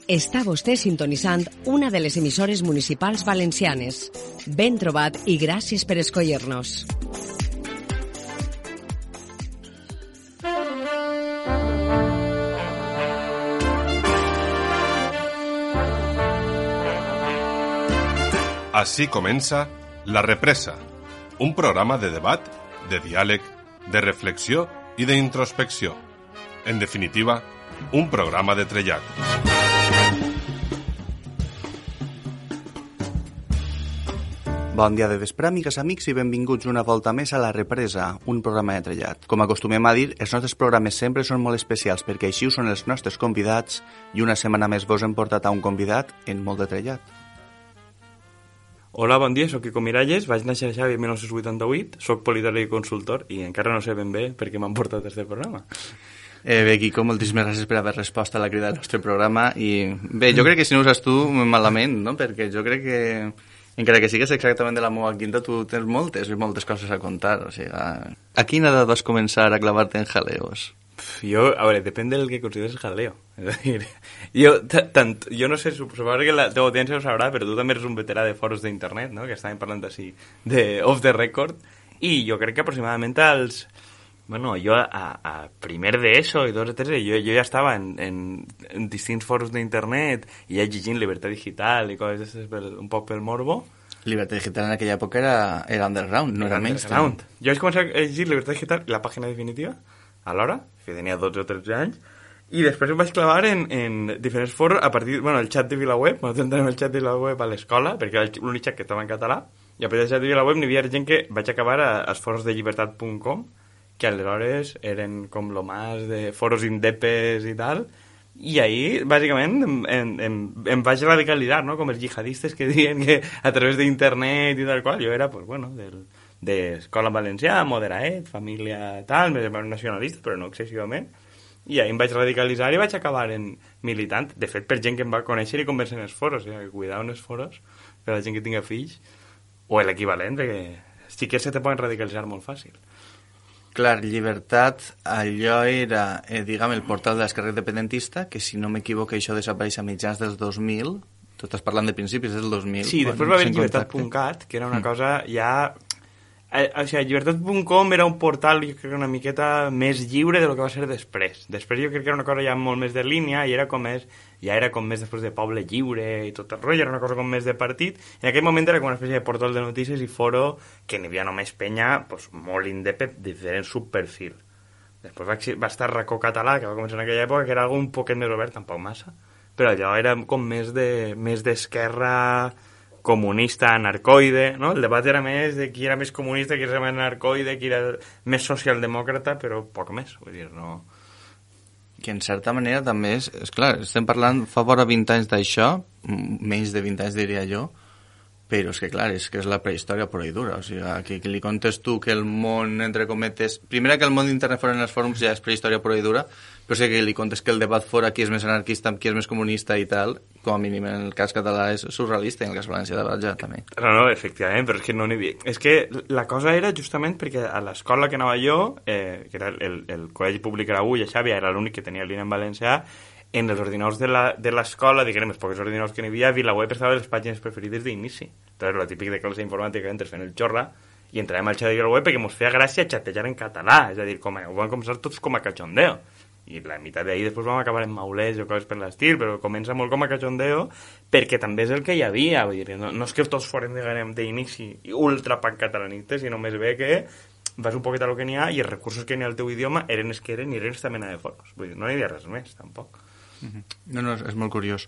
Està vostè sintonitzant una de les emissores municipals valencianes. Ben trobat i gràcies per escollir-nos. Així comença La Represa, un programa de debat, de diàleg, de reflexió i d'introspecció. En definitiva, un programa de trellat. Bon dia de vespre, amigues, amics, i benvinguts una volta més a La Represa, un programa de trellat. Com acostumem a dir, els nostres programes sempre són molt especials perquè així ho són els nostres convidats i una setmana més vos hem portat a un convidat en molt de trellat. Hola, bon dia, soc Quico Miralles, vaig néixer a Xavi en 1988, soc politòleg i consultor i encara no sé ben bé per què m'han portat a aquest programa. Bé, Quico, moltíssimes gràcies per haver respost a la crida del nostre programa i bé, jo crec que si no ho saps tu, malament, no? Perquè jo crec que encara que sigues exactament de la meva quinta, tu tens moltes coses a contar, o sigui, a quina edat vas començar a clavar-te en jaleos? Jo, a veure, depèn del que consideres jaleo. És a dir, jo no sé, suposo que la teva audiència ho sabrà, però tu també eres un veterà de foros d'internet, no?, que estàvem parlant així, de off the record, i jo crec que aproximadament als... Bueno, jo a primer d'ESO i dos o tres, jo ja estava en distints foros d'internet i ja llegint Llibertat Digital i coses un poc pel morbo. Llibertat Digital en aquella època era underground, no era mainstream. Jo vaig començar a llegir Llibertat Digital i la pàgina definitiva, alhora, que tenia 12 o 13 anys, i després em vaig clavar en diferents foros a partir, bueno, el xat de VilaWeb, nosaltres entràvem el xat de VilaWeb a l'escola, perquè era l'únic xat que estava en català, i a partir del xat de VilaWeb n'hi havia gent que vaig acabar als foros de llibertat.com, que aleshores eren com lo más de foros indepes i tal, i ahí, bàsicament, em vaig radicalitzar, no?, com els jihadistes que diuen que a través d'internet i tal qual, jo era, pues bueno, d'escola valencià, moderaet, família tal, més nacionalista, però no excessivament, i ahí em vaig radicalitzar i vaig acabar en militant, de fet, per gent que em va conèixer i convertir en els foros, cuidar en els foros, per a la gent que tinga fills, o l'equivalent, perquè sí que se te poden radicalitzar molt fàcil. Clar, Llibertat, allò era, diguem, el portal de l'esquerra independentista, que si no m'equivoco això desapareix a mitjans dels 2000, tu estàs parlant de principis del 2000. Sí, després va haver llibertat.cat, que era una cosa ja... O sigui, llibertat.com era un portal, jo crec, una miqueta més lliure de lo que va ser després. Després jo crec que era una cosa ja molt més de línia i era com més, ja era com més després de Poble Lliure i tot el rotllo, era una cosa com més de partit. En aquell moment era com una espècie de portal de notícies i foro que n'hi havia només penya pues, molt independent, diferent subperfil. Després va estar Racó Català, que va començar en aquella època, que era algo un poquet més obert, tampoc massa, però allò era com més d'esquerra comunista, anarcoide, no? El debat era més de qui era més comunista, qui era més anarcoide, qui era més socialdemòcrata, però poc més, vull dir, no... Que en certa manera també és clar, estem parlant fa vora 20 anys d'això, menys de 20 anys diria jo, però és que clar, és que és la prehistòria pura i dura, o sigui, que li contes tu que el món, entre cometes, primera que el món d'internet fora en els fòrums ja és prehistòria pura i dura, però sí que li contes que el debat fora qui és més anarquista, qui és més comunista i tal, com a mínim en el cas català és surrealista i en el cas valencià de ja també. No, efectivament, però és que no n'hi havia... És que la cosa era justament perquè a l'escola que anava jo, que era el col·legi públic era avui, a Xàbia, era l'únic que tenia línia en valencià, en els ordinadors de l'escola, diguem, els pocs ordinadors que n'hi havia, VilaWeb estava a les pàgines preferides d'inici. Entonces, lo típic de classe informàtica, entres fent el xorra, i entràvem al xat de VilaWeb perquè ens feia gràcia xatejar en català, és a dir, ho vam començar tots com a cachondeo. I la meitat d'ahir després vam acabar en maulers o coses per l'estil, però comença molt com a cachondeo perquè també és el que hi havia, vull dir, no és que tots foren d'inici ultra pancatalanistes, sinó més bé que vas un poquet a lo que n'hi ha i els recursos que n'hi ha al teu idioma eren els que eren i eren aquesta mena de foros, vull dir, no hi havia res més, tampoc. No, és molt curiós.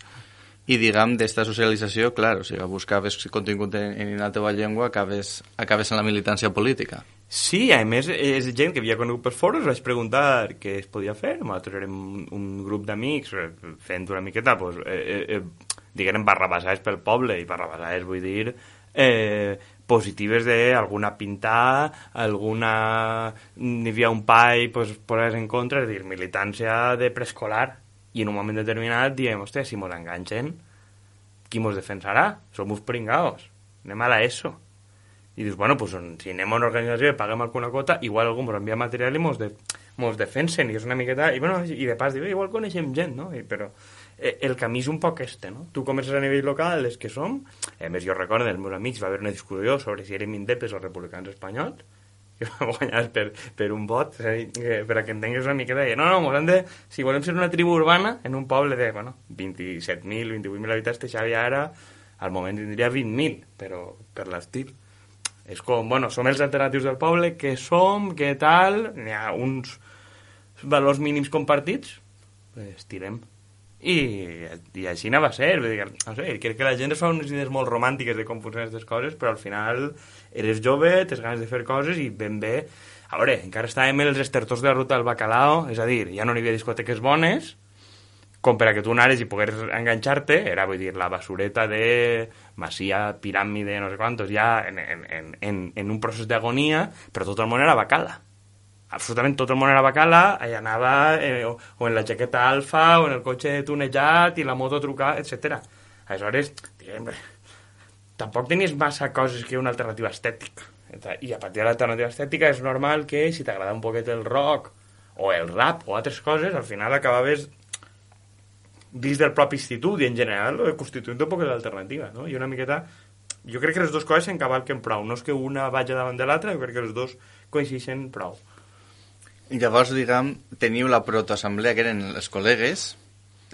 I diguem, d'esta socialització, clar, o sigui, buscaves contingut en la teva llengua, acabes en la militància política. Sí, a més, és gent que havia conegut per foros, vaig preguntar què es podia fer. Nosaltres érem un grup d'amics fent una miqueta, pues, diguem, barrabassades pel poble, i barrabassades vull dir positives d'alguna pintar, alguna... N'hi havia un pai, pues, posar en contra, és a dir, militància de preescolar, i en un moment determinat diem, hòstia, si mos enganxen, qui mos defensarà? Som uns pringaos, anem a l'ESO. I dius, bueno, pues, si anem a una organització i paguem alguna quota, igual algú ens envia material i mos defensen, i és una miqueta... I, bueno, i de pas diu, igual coneixem gent, no? Però el camí és un poc no? Tu comences a nivell local, els que som... A més, jo recordo, els meus amics, va haver una discussió sobre si érem indepes o republicans espanyols, que vam guanyar per un vot, per a que entengues una miqueta, no, mos han de... Si volem ser una tribu urbana, en un poble de, 27.000, 28.000 habitants, Xavi ara, al moment tindria 20.000, però per l'estil. És com, som els alternatius del poble, què som, què tal, n'hi ha uns valors mínims compartits, pues tirem. I així va ser, no sé, crec que la gent es fa unes idees molt romàntiques de com funcionen aquestes coses, però al final eres jove, tens ganes de fer coses i ben bé... A veure, encara estàvem els estertors de la ruta del bacalao, és a dir, ja no hi havia discoteques bones, com per a que tu anares i pogués enganxar-te, era, vull dir, la basureta de Masia, Piràmide, no sé quantos, ja en un procés d'agonia, però tot el món era bacala. Absolutament tot el món era bacala, allà anava o en la jaqueta alfa, o en el cotxe tunejat, i la moto trucada, etc. Aleshores, diguem, tampoc tenies massa coses que una alternativa estètica. I a partir de l'alternativa estètica és normal que, si t'agrada un poquet el rock, o el rap, o altres coses, al final acabaves dins del propi institut, i en general constituint un poquet d'alternativa, no? I una miqueta... Jo crec que les dues coses s'encavalquen prou. No és que una vagi davant de l'altra, jo crec que les dues coincideixen prou. Llavors, diguem, teniu la protoassemblea, que eren els col·legues,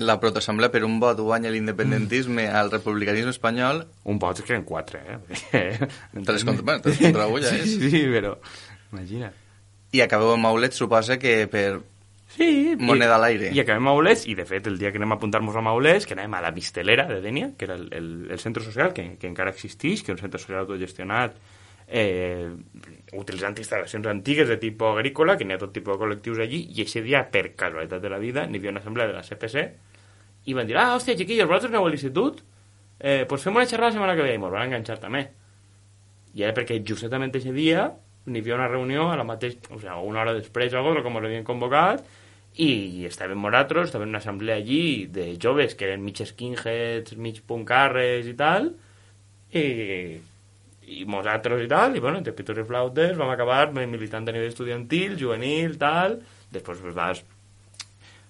la protoassemblea per un vot guanya l'independentisme al republicanisme espanyol... Un vot és que eren 4, eh? 3 contra 1, ja és. Sí, però... Imagina't. I acabeu amb Maulets, suposa que per... Sí, moneda a l'aire. I acabem a Maulets, i de fet el dia que anem a apuntar-nos a Maulets, que anem a la Mistelera de Dénia, que era el centre social, que encara existeix, que és un centre social autogestionat, utilitzant instal·lacions antigues de tipus agrícola, que n'hi ha tot tipus de col·lectius allí, i aquest dia, per casualitat de la vida, n'hi havia una assemblea de la CPC, i van dir, hòstia, chiquillos, vosaltres aneu a l'institut? Pues fem una xerrada la setmana que ve, i mos van enganxar també. I era perquè justament aquest dia n'hi havia una reunió a la mateixa, o sigui, una hora després o alguna cosa, com l'havien convocat, i estàvem nosaltres, estàvem en una assemblea allí de joves que eren mig skinheads, mig puncarres i tal, i nosaltres i tal, i bueno, entre pitos i flautes vam acabar militant a nivell estudiantil, juvenil, tal, després pues, vas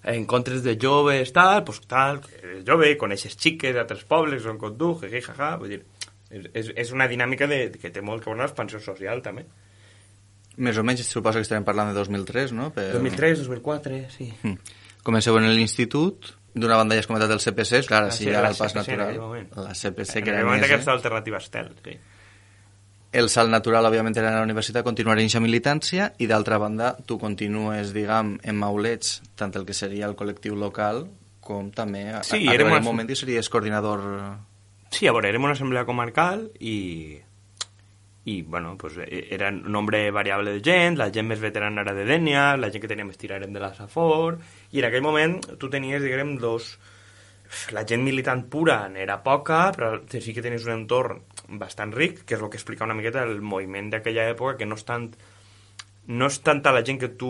a encontres de joves, tal, pues tal, eres jove, coneixes xiques d'altres pobles, són com tu, jaja, vull dir, és una dinàmica que té molt que veure l'expansió social, també. Més o menys, suposo que estarem parlant de 2003, no? 2003, 2004, sí. Comenceu en l'institut, d'una banda ja has comentat el CPC, clar, així ja era el pas CPC, natural. La CPC, que era més... En aquesta alternativa estel, sí. El salt natural, òbviament, era a la universitat, continuar en aquesta militància, i d'altra banda, tu continues, diguem, en Maulets, tant el que seria el col·lectiu local, com també, sí, a un moment que series coordinador... Sí, a veure, érem una assemblea comarcal i bueno, pues, era un nombre variable de gent, la gent més veterana era de Dénia, la gent que tenia més tir érem de la Safor, i en aquell moment tu tenies, diguem, la gent militant pura n'era poca, però sí que tenies un entorn bastant ric, que és el que explica una miqueta el moviment d'aquella època, que no és tanta la gent que tu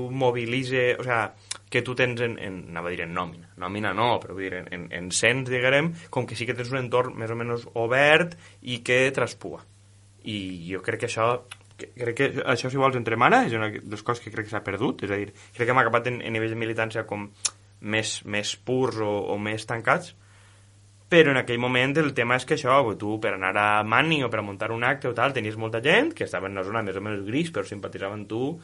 mobilitze, o sea, que tu tens anava a dir en nòmina no, però vull dir en cens, diguem, com que sí que tens un entorn més o menys obert i que traspua. I jo crec que això si vols entremana és una de les coses que crec que s'ha perdut, és a dir, crec que hem acabat en nivell de militància com més purs o més tancats, però en aquell moment el tema és que això, tu per anar a Mani o per a muntar un acte o tal, tenies molta gent que estava en una zona més o menys gris però simpatitzava amb tu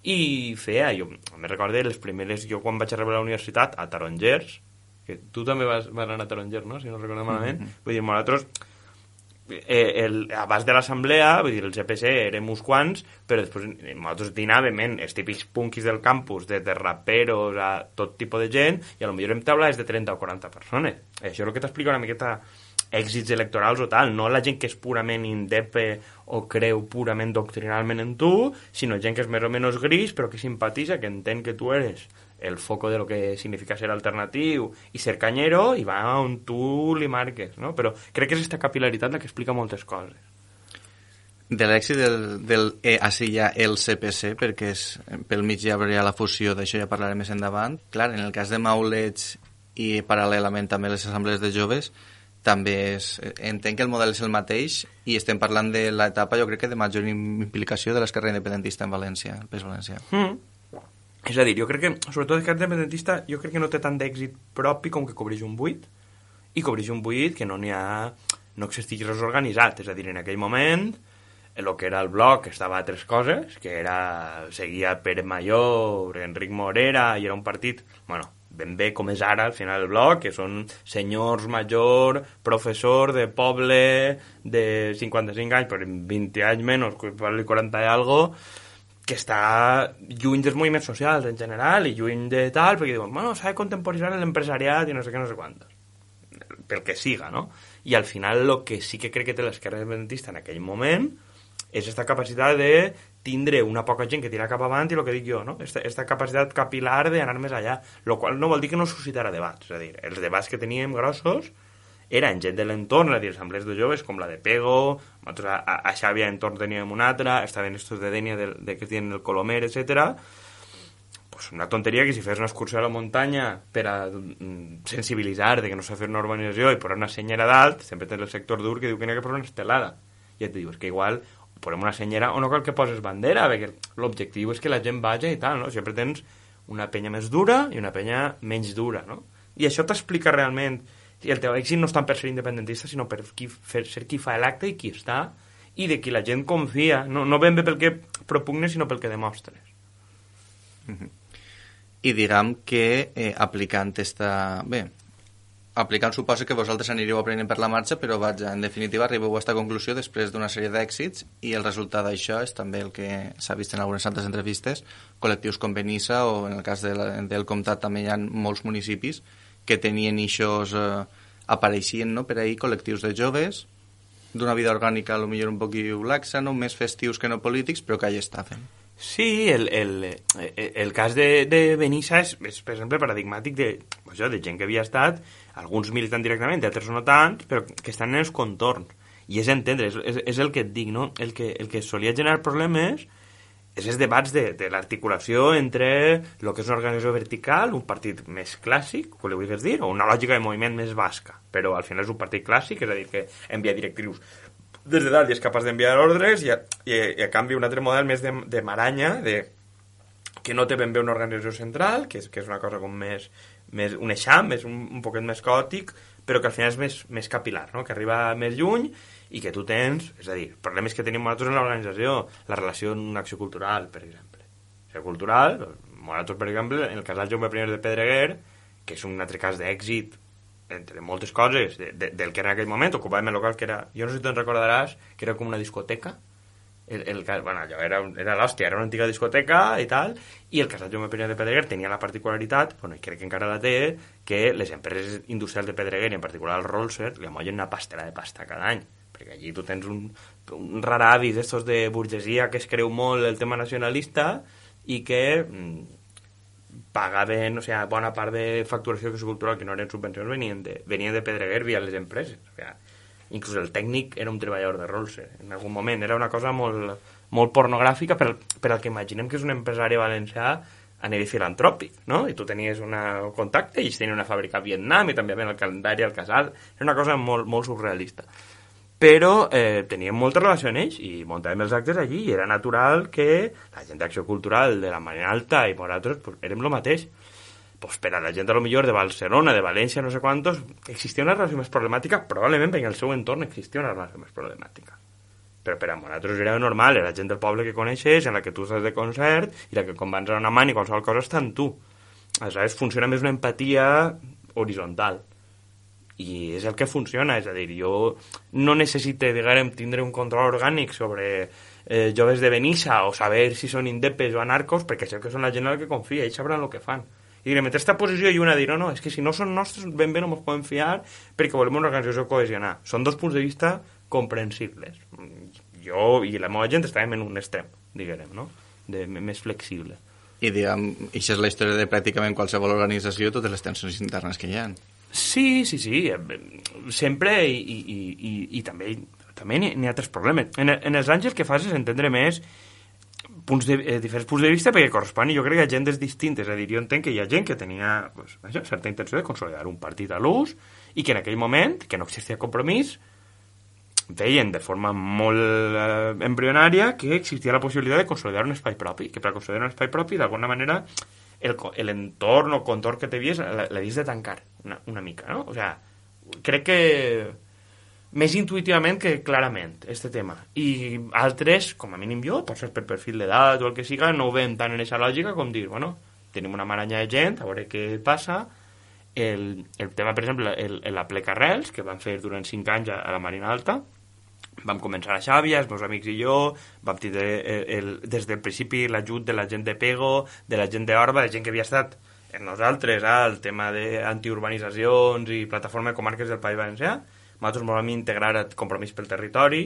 i feia, jo me recordo les primeres, jo quan vaig arribar a la universitat a Tarongers, que tu també vas anar a Tarongers, no? Si no recordo malament, vull dir, nosaltres abans de l'assemblea, vull dir, el CPC érem uns quants, però després nosaltres dinàvem els típics punkis del campus, de raperos a tot tipus de gent, i a lo millor hem taulades de 30 o 40 persones. Això és el que t'explica una miqueta èxits electorals o tal, no la gent que és purament indepe o creu purament doctrinalment en tu, sinó gent que és més o menys gris, però que simpatitza, que entén que tu eres el foco de lo que significa ser alternatiu i ser canyero, i va on tu li marques, no? Però crec que és aquesta capil·laritat la que explica moltes coses. De l'èxit del així ja el CPC, perquè pel mig ja hi ha la fusió, d'això ja parlarem més endavant. Clar, en el cas de Maulets i paral·lelament també les assemblees de joves, també entenc que el model és el mateix i estem parlant de l'etapa, jo crec que de major implicació de l'esquerra independentista en València, el PES Valencià. És a dir, jo crec que, sobretot el candidat independentista, jo crec que no té tant d'èxit propi com que cobreix un buit, i cobreix un buit que no existeix res organitzat. És a dir, en aquell moment, el que era el bloc estava a tres coses, que seguia Pere Mayor, Enric Morera, i era un partit, bueno, ben bé com és ara al final del bloc, que són senyors major, professor de poble de 55 anys, però 20 anys menys, 40 i algo, que està lluny dels moviments socials en general i lluny de tal, perquè diuen, bueno, s'ha de contemporitzar l'empresariat i no sé què, no sé quantos. Pel que siga, no? I al final el que sí que crec que té l'esquerra independentista en aquell moment és aquesta capacitat de tindre una poca gent que tira cap avant i el que dic jo, no? Esta capacitat capilar d'anar més allà, el qual no vol dir que no suscitarà debats. És a dir, els debats que teníem grossos eren gent de l'entorn, és a dir, assemblees de joves com la de Pego, nosaltres a Xàbia entorn teníem una altra, estaven estos de Dènia de que es diuen el Colomer, etc. Pues una tonteria que si fes una excursió a la muntanya per a sensibilitzar de que no s'ha fet una urbanització i posar una senyera dalt, sempre tens el sector dur que diu que n'hi ha que posar una estelada. I et dius que igual posem una senyera o no cal que poses bandera, perquè l'objectiu és que la gent vagi i tal, no? Sempre tens una penya més dura i una penya menys dura, no? I això t'explica realment i el teu èxit no és tant per ser independentista, sinó per ser qui fa l'acte i qui està, i de qui la gent confia, no ben bé pel que propugnes, sinó pel que demostres. I diguem que aplicant suposa que vosaltres anireu aprenent per la marxa, però vaja, en definitiva arribeu a aquesta conclusió després d'una sèrie d'èxits i el resultat d'això és també el que s'ha vist en algunes altres entrevistes, col·lectius com Benissa o en el cas del Comtat també hi ha molts municipis que tenien eixos, apareixien, no?, per ahir col·lectius de joves d'una vida orgànica potser un poquillo laxa, no?, més festius que no polítics, però que allà estaven. Sí, el cas de Benissa és, per exemple, paradigmàtic de gent que havia estat, alguns militant directament, altres no tant, però que estan en els contorns. I és entendre, és el que et dic, no? El que solia generar problemes és els debats de l'articulació entre el que és una organització vertical, un partit més clàssic, que li vulguis dir, o una lògica de moviment més basca, però al final és un partit clàssic, és a dir, que envia directrius des de dalt i és capaç d'enviar ordres i a canvi un altre model més de maranya, que no té ben bé una organització central, que és una cosa com més un eixam, és un poquet més caòtic, però que al final és més capilar, no? Que arriba més lluny i que tu tens, és a dir, problemes que tenim nosaltres en l'organització, la relació en una acció cultural, per exemple. Acció cultural, nosaltres, per exemple, en el casal Jaume I de Pedreguer, que és un altre cas d'èxit, entre moltes coses, del que era en aquell moment, ocupàvem el local que era, jo no sé si te'n recordaràs, que era com una discoteca, bueno, allò era l'hòstia, era una antiga discoteca i tal, i el casal Jaume I de Pedreguer tenia la particularitat, bueno, i crec que encara la té, que les empreses industrials de Pedreguer, i en particular el Rolser, li amollen una pastera de pasta cada any, perquè allí tu tens un raravis d'estos de burgesia que es creu molt el tema nacionalista i que pagaven, o sea, bona part de facturació cultural que no eren subvencions venien de Pedreguer via les empreses, o sea, inclús el tècnic era un treballador de Rolls en algun moment, era una cosa molt pornogràfica per al que imaginem que és un empresari valencià a nivell filantròpic, no? I tu tenies un contacte i ells tenien una fàbrica a Vietnam i també ven el calendari al casal, era una cosa molt surrealista. Però teníem molta relació amb ells i muntàvem els actes allí i era natural que la gent d'acció cultural de la Marina Alta i nosaltres pues, érem el mateix. Pues, per a la gent a lo millor de Barcelona, de València, no sé quantos, existia una relació més problemàtica, probablement perquè en el seu entorn existia una relació més problemàtica. Però per a nosaltres era normal, era gent del poble que coneixes, en la que tu estàs de concert i la que quan vas a una mà i qualsevol cosa està en tu. Aleshores funciona més una empatia horitzontal. I és el que funciona, és a dir, jo no necessito, diguem, tindre un control orgànic sobre joves de Benissa o saber si són indepes o anarcos, perquè sé que són la gent a la que confia, ells sabran el que fan. I direm, entre aquesta posició i una dir, no, és que si no són nostres, ben bé no ens podem fiar perquè volem una organització cohesionada. Són dos punts de vista comprensibles. Jo i la meva gent estàvem en un extrem, diguem, no? Més flexible. I diguem, això és la història de pràcticament qualsevol organització, totes les tensions internes que hi ha. Sí, sempre i també n'hi ha altres problemes. En els anys el que fas és entendre més diferents punts de vista perquè correspon, i jo crec que hi ha gent distintes, és a dir, jo entenc que hi ha gent que tenia certa intenció de consolidar un partit a l'ús i que en aquell moment, que no existia compromís, deien de forma molt embrionària que existia la possibilitat de consolidar un espai propi, que per consolidar un espai propi, d'alguna manera, l'entorn o contorn que t'havies l'havies de tancar una mica, no? O sea, crec que més intuïtivament que clarament, este tema. I altres, com a mínim jo, potser per perfil d'edat o el que siga, no ho veiem tant en aquesta lògica com dir, bueno, tenim una maranya de gent, a veure què passa. El tema, per exemple, la pleca Arrels, que vam fer durant 5 anys a la Marina Alta, vam començar a Xàbia, els meus amics i jo, vam tindre des del principi l'ajut de la gent de Pego, de la gent d'Orba, de gent que havia estat en nosaltres, el tema d'antiurbanitzacions i plataforma de comarques del País Valencià. Nosaltres ens vam integrar a Compromís pel Territori,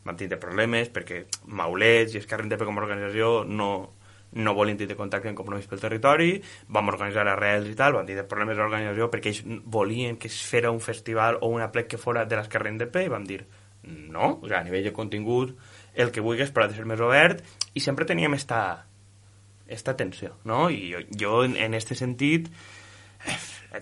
vam tindre problemes perquè Maulets i Esquerra Indep com a organització no volien tindre contacte amb Compromís pel Territori, vam organitzar Arrels i tal, vam tindre problemes d'organització perquè ells volien que es fera un festival o una plec que fora de l'Esquerra Indep i vam dir no, o sigui, a nivell de contingut el que vulguis però ha de ser més obert i sempre teníem esta tensió, no? I jo en este sentit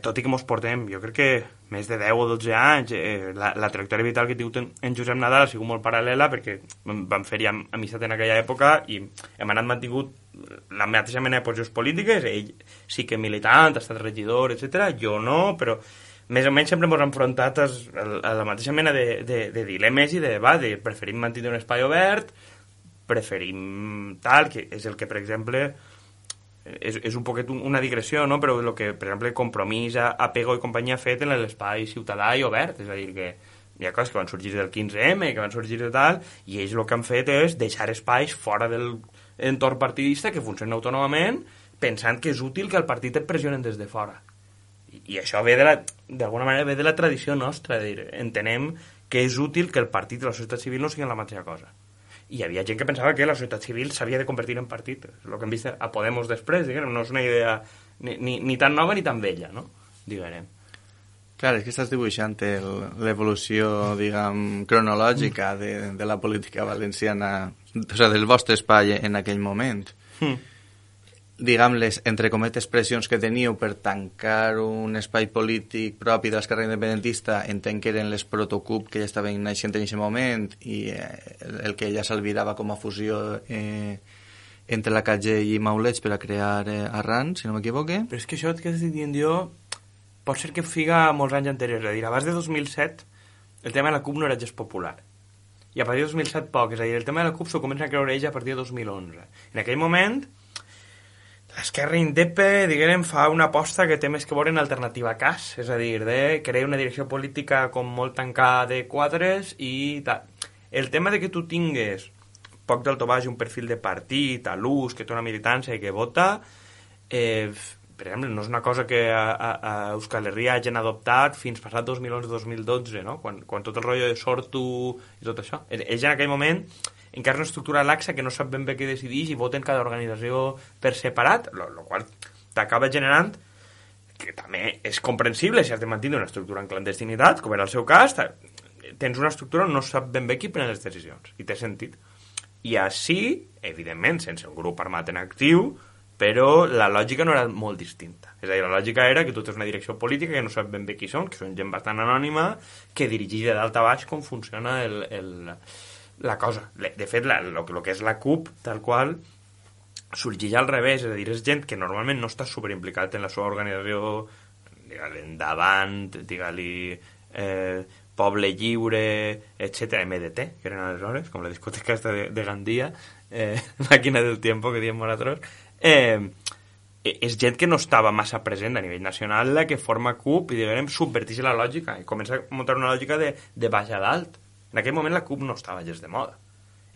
tot i que mos portem, jo crec que més de 10 o 12 anys, la trajectòria vital que he tingut en Josep Nadal ha sigut molt paral·lela perquè vam fer ja amistat en aquella època i hem anat mantingut la mateixa mena de posicions polítiques, ell sí que militant, ha estat regidor, etc. Jo no, però més o menys sempre ens hem enfrontat a la mateixa mena de dilemes i de debat, preferim mantenir un espai obert, preferim tal, que és el que, per exemple, és un poquet una digressió, no? Però el que, per exemple, Compromís, Apego i companyia ha fet en l'espai ciutadà i obert, és a dir, que hi ha coses que van sorgir del 15M, que van sorgir de tal, i ells el que han fet és deixar espais fora del entorn partidista que funcionen autònomament, pensant que és útil que el partit et pressionen des de fora. I això ve d'alguna manera ve de la tradició nostra, entenem que és útil que el partit i la societat civil no siguin la mateixa cosa. I hi havia gent que pensava que la societat civil s'havia de convertir en partit, el que hem vist a Podemos després, diguem, no és una idea ni tan nova ni tan vella, no? Diguem. Clar, és que estàs dibuixant l'evolució, diguem, cronològica de la política valenciana, o sigui, del vostre espai en aquell moment. Diguem, les, entre cometes, pressions que teníeu per tancar un espai polític propi de l'esquerra independentista, entenc que eren les protocup que ja estaven naixent en aquest moment i el que ja s'albirava com a fusió entre la CAG i Maulets per a crear Arran, si no m'equivoque. Però és que això que estic dient jo pot ser que figa molts anys anteriors, és a dir, abans de 2007 el tema de la CUP no era gens popular i a partir de 2007 poc, és a dir, el tema de la CUP s'ho comença a creure ella a partir de 2011. En aquell moment l'Esquerra Indepe, diguem, fa una aposta que té més que veure en alternativa a CAS, és a dir, de crear una direcció política com molt tancada de quadres i tal. El tema de que tu tingues poc d'alto baix un perfil de partit, a l'ús, que té una militància i que vota, per exemple, no és una cosa que a Euskal Herria hagin adoptat fins passat 2011-2012, no? Quan tot el rotllo de Sortu i tot això. Ells en aquell moment encara una estructura laxa que no sap ben bé què decideix i voten cada organització per separat, el qual t'acaba generant que també és comprensible si has de mantenir una estructura en clandestinitat, com era el seu cas, tens una estructura on no sap ben bé qui pren les decisions, i té sentit. I així, evidentment, sense un grup armat en actiu, però la lògica no era molt distinta. És a dir, la lògica era que tu tens una direcció política que no sap ben bé qui són, que són gent bastant anònima, que dirigeix de dalt a baix com funciona la cosa. De fet, el que és la CUP, tal qual, sorgeix al revés, és a dir, és gent que normalment no està superimplicat en la seva organització, digue-li Endavant, digue-li Poble Lliure, etc., MDT, que eren aleshores, com la discoteca esta de Gandia, Màquina del Tiempo, que diem nosaltres, és gent que no estava massa present a nivell nacional, la que forma CUP i, diguem, subverteix la lògica i comença a muntar una lògica de baix a dalt. En aquell moment la CUP no estava gens de moda.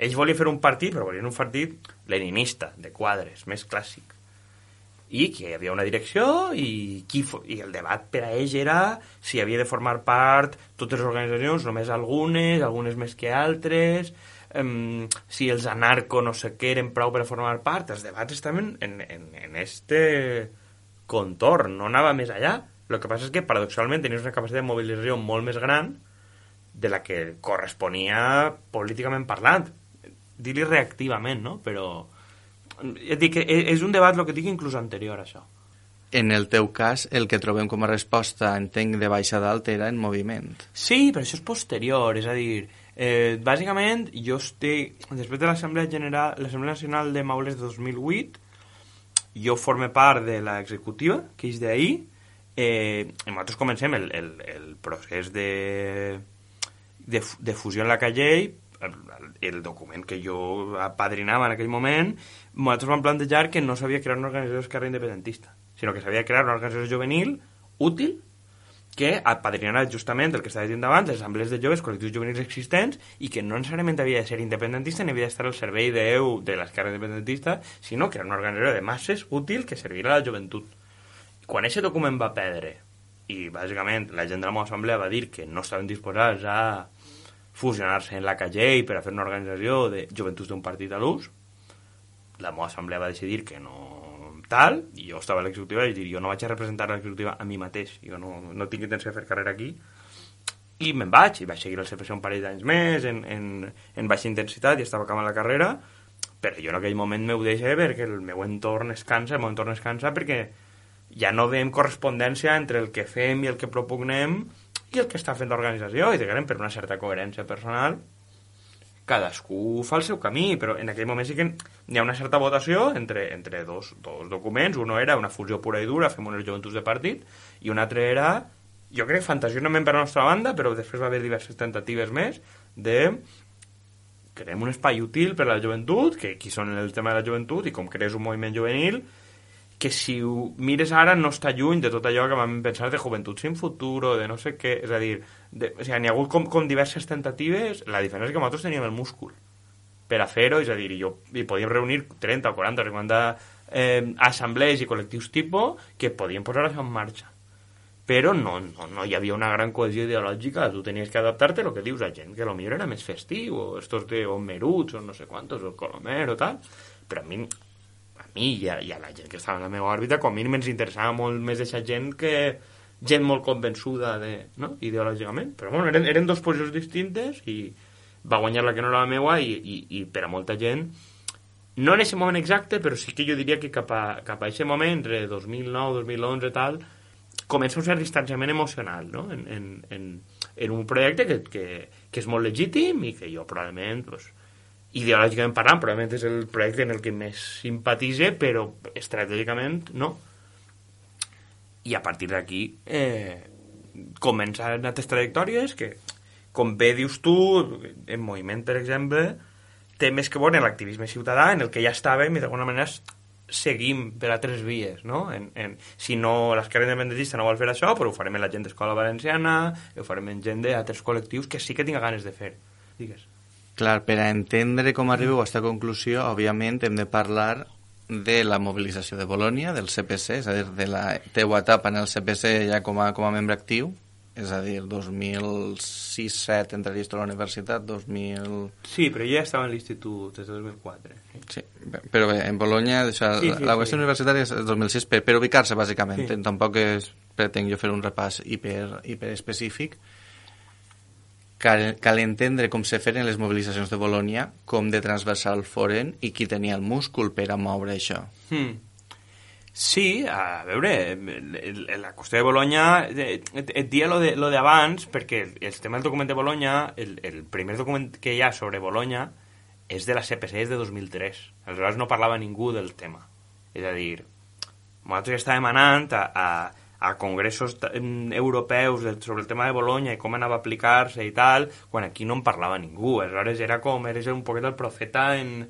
Ells volien fer un partit, però volien un partit leninista, de quadres, més clàssic. I que hi havia una direcció i el debat per a ells era si havia de formar part totes les organitzacions, només algunes més que altres, si els anarco no sé què eren prou per a formar part. Els debats estaven en este contorn, no anava més allà. El que passa és que, paradoxalment, tenies una capacitat de mobilització molt més gran de la que corresponia políticament parlant. Dir-li reactivament, no? Però dic que és un debat, el que dic, inclús anterior a això. En el teu cas, el que trobem com a resposta, entenc, de baix a dalt era en moviment. Sí, però això és posterior, és a dir, Bàsicament, jo estic... Després de l'Assemblea Nacional de Maules de 2008, jo forme part de l'executiva, que és d'ahir, i nosaltres comencem el procés de fusió en la llei, el document que jo apadrinava en aquell moment. Nosaltres vam plantejar que no s'havia creat una organització d'esquerra independentista, sinó que s'havia creat una organització juvenil útil que apadrinarà justament el que estava dient abans, les assemblees de joves, col·lectius juvenils existents, i que no necessàriament havia de ser independentista ni havia d'estar al servei de l'esquerra independentista, sinó que era una organització de masses útil que servirà a la joventut. Quan aquest document va perdre, i bàsicament la gent de la meva assemblea va dir que no estaven disposats a fusionar-se en la llei per a fer una organització de joventuts d'un partit a l'ús, la meva assemblea va decidir que no tal, i jo estava a l'executiva i vaig dir, jo no vaig a representar l'executiva a mi mateix, jo no tinc intenció de fer carrera aquí, i me'n vaig, i vaig seguir el CPC un parell d'anys més, en baixa intensitat, i estava acabant la carrera, però jo en aquell moment m'ho deixé perquè el meu entorn es cansa, perquè ja no veiem correspondència entre el que fem i el que propugnem i el que està fent l'organització, i diguem, per una certa coherència personal, cadascú fa el seu camí, però en aquell moment sí que hi ha una certa votació entre dos documents. Uno era una fusió pura i dura, fem unes joventuts de partit, i un altre era, jo crec, fantasiosament per la nostra banda, però després va haver diverses tentatives més, de creem un espai útil per a la joventut, que aquí són el tema de la joventut, i com crees un moviment juvenil, que si ho mires ara no està lluny de tot allò que vam pensar de Joventut sin Futuro, de no sé què, és a dir, o sigui, n'hi ha hagut com diverses tentatives. La diferència és que nosaltres teníem el múscul per a fer-ho, és a dir, i podíem reunir 30 o 40 o 50 assemblees i col·lectius tipus que podien posar això en marxa. Però no hi havia una gran cohesió ideològica, tu tenies que adaptar-te a el que dius a gent, que potser era més festiu, o estos de Meruts, o no sé quantos, o Colomer, o tal, però a mi i a la gent que estava en la meva òrbita, com a mínim ens interessava molt més aquesta gent que gent molt convençuda no? Ideològicament, però bueno, eren dos posicions distintes i va guanyar la que no era la meva i per a molta gent no en aquest moment exacte, però sí que jo diria que cap a aquest moment, entre 2009, 2011 tal, comença un cert distanciament emocional, no? en un projecte que és molt legítim i que jo probablement ideològicament parlant, probablement és el projecte en el que més simpatitze, però estratègicament no. I a partir d'aquí comencen altres trajectòries que, com bé dius tu, en Moviment, per exemple, té més que veure en l'activisme ciutadà, en el que ja estàvem i d'alguna manera seguim per altres vies, no? Si no l'esquerra independentista no vol fer això, però ho farem en la gent d'Escola Valenciana, ho farem en gent d'altres col·lectius que sí que tinc ganes de fer. Digues. Clar, per a entendre com arribeu a aquesta conclusió, òbviament hem de parlar de la mobilització de Bolònia, del CPC, és a dir, de la teua etapa en el CPC ja com a membre actiu, és a dir, 2006-2007 entraries a la universitat, 2000... Sí, però jo ja estava en l'institut des de 2004. Sí, però bé, en Bolònia, la qüestió universitària és 2006, per ubicar-se, bàsicament. Sí. Tampoc pretenc jo fer un repàs hiper específic. Cal entendre com se feren les mobilitzacions de Bolònia, com de transversal foren i qui tenia el múscul per a moure això. Sí, a veure, la qüestió de Bolònia, et dia lo d'abans, perquè el tema del document de Bolònia, el primer document que hi ha sobre Bolònia és de la CPC, és de 2003. Aleshores no parlava ningú del tema. És a dir, nosaltres estàvem anant a congressos europeus sobre el tema de Bolònia i com anava a aplicar-se i tal, quan aquí no en parlava ningú. Aleshores eres un poquet el profeta en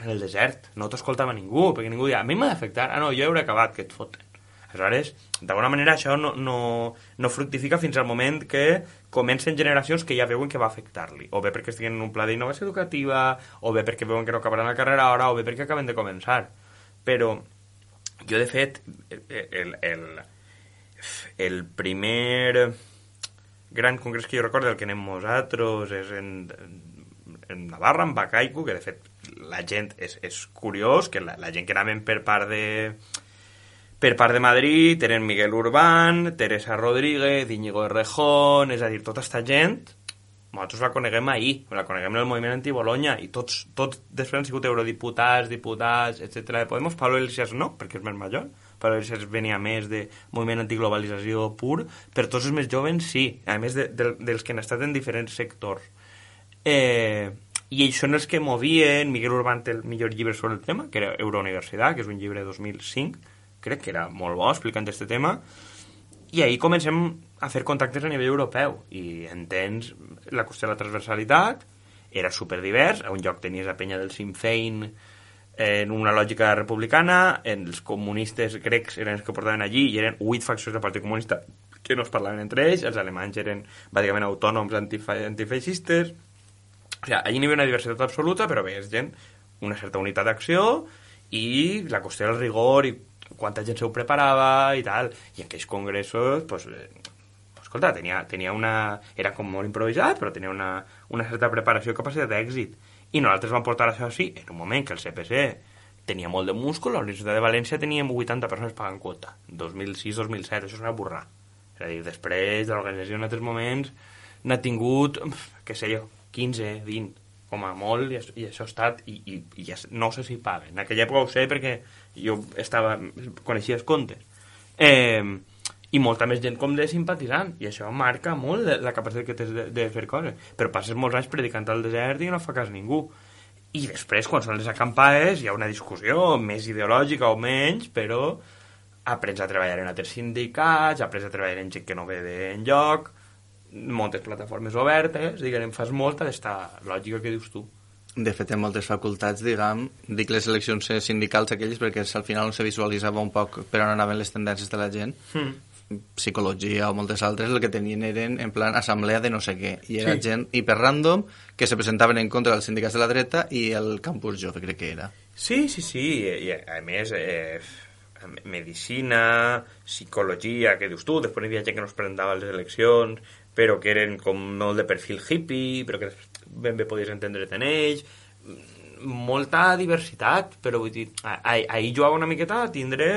el desert, no t'escoltava ningú, perquè ningú deia, a mi m'ha d'afectar, no, jo hauré acabat, que et foten. Aleshores, d'alguna manera això no fructifica fins al moment que comencen generacions que ja veuen que va afectar-li, o bé perquè estiguen en un pla d'innovació educativa, o bé perquè veuen que no acabaran la carrera ara, o bé perquè acaben de començar. Però jo, de fet, el primer gran congrés que jo recordo, el que anem nosaltres, és en Navarra, en Bacaico, que de fet la gent és curiós, que la gent que anaven per part de Madrid eren Miguel Urbán, Teresa Rodríguez, Íñigo Errejón, és a dir, tota esta gent nosaltres la coneguem ahir, la coneguem en el moviment anti-Bolònia, i tots després han sigut eurodiputats, diputats, etc. de Podemos. Pablo Iglesias no, perquè és més major. Pablo Iglesias venia més de moviment antiglobalització pur, però tots els més jovens sí, a més dels que han estat en diferents sectors. i ells són els que movien. Miguel Urbán té el millor llibre sobre el tema, que era Eurouniversitat, que és un llibre de 2005, crec que era molt bo explicant aquest tema, i ahir comencem a fer contactes a nivell europeu i entens la qüestió de la transversalitat. Era superdivers, a un lloc tenies la penya del Sinn Féin en una lògica republicana, els comunistes grecs eren els que portaven allí i eren 8 faccions del Partit Comunista que no es parlaven entre ells, els alemanys eren bàsicament autònoms antifeixistes. O sigui, allí n'hi havia una diversitat absoluta, però bé, és gent, una certa unitat d'acció i la qüestió del rigor i quanta gent s'ho preparava i tal. I en aquells congressos, pues, escolta, tenia una... Era com molt improvisat, però tenia una certa preparació i capacitat d'èxit. I nosaltres vam portar això així en un moment que el CPC tenia molt de múscul. A la Universitat de València teníem 80 persones pagant quota. 2006-2007, això és una burrà. És a dir, després de l'organització en altres moments n'ha tingut, què sé jo, 15, 20, com a molt, i això ha estat, i ja no sé si paguen. En aquella època ho sé perquè jo coneixia els comptes. I molta més gent com de simpatitzant, i això marca molt la capacitat que tens de fer coses. Però passes molts anys predicant al desert i no fa cas ningú. I després, quan són les acampades, hi ha una discussió més ideològica o menys, però aprens a treballar en altres sindicats, aprens a treballar en gent que no ve d'enlloc, moltes plataformes obertes, diguem, fas molta d'esta lògica que dius tu. De fet, en moltes facultats, dic les eleccions sindicals aquelles perquè al final se visualitzava un poc per on anaven les tendències de la gent. Psicologia o moltes altres, el que tenien eren en plan assemblea de no sé què, i era gent hiper random que se presentaven en contra dels sindicats de la dreta i el campus jove, crec que era. Sí, i a més medicina, psicologia, que dius tu, després hi havia gent que no es presentava a les eleccions, però que eren com molt de perfil hippie, però que ben bé podies entendre't en ells, molta diversitat, però vull dir, ahir jugava una miqueta a tindre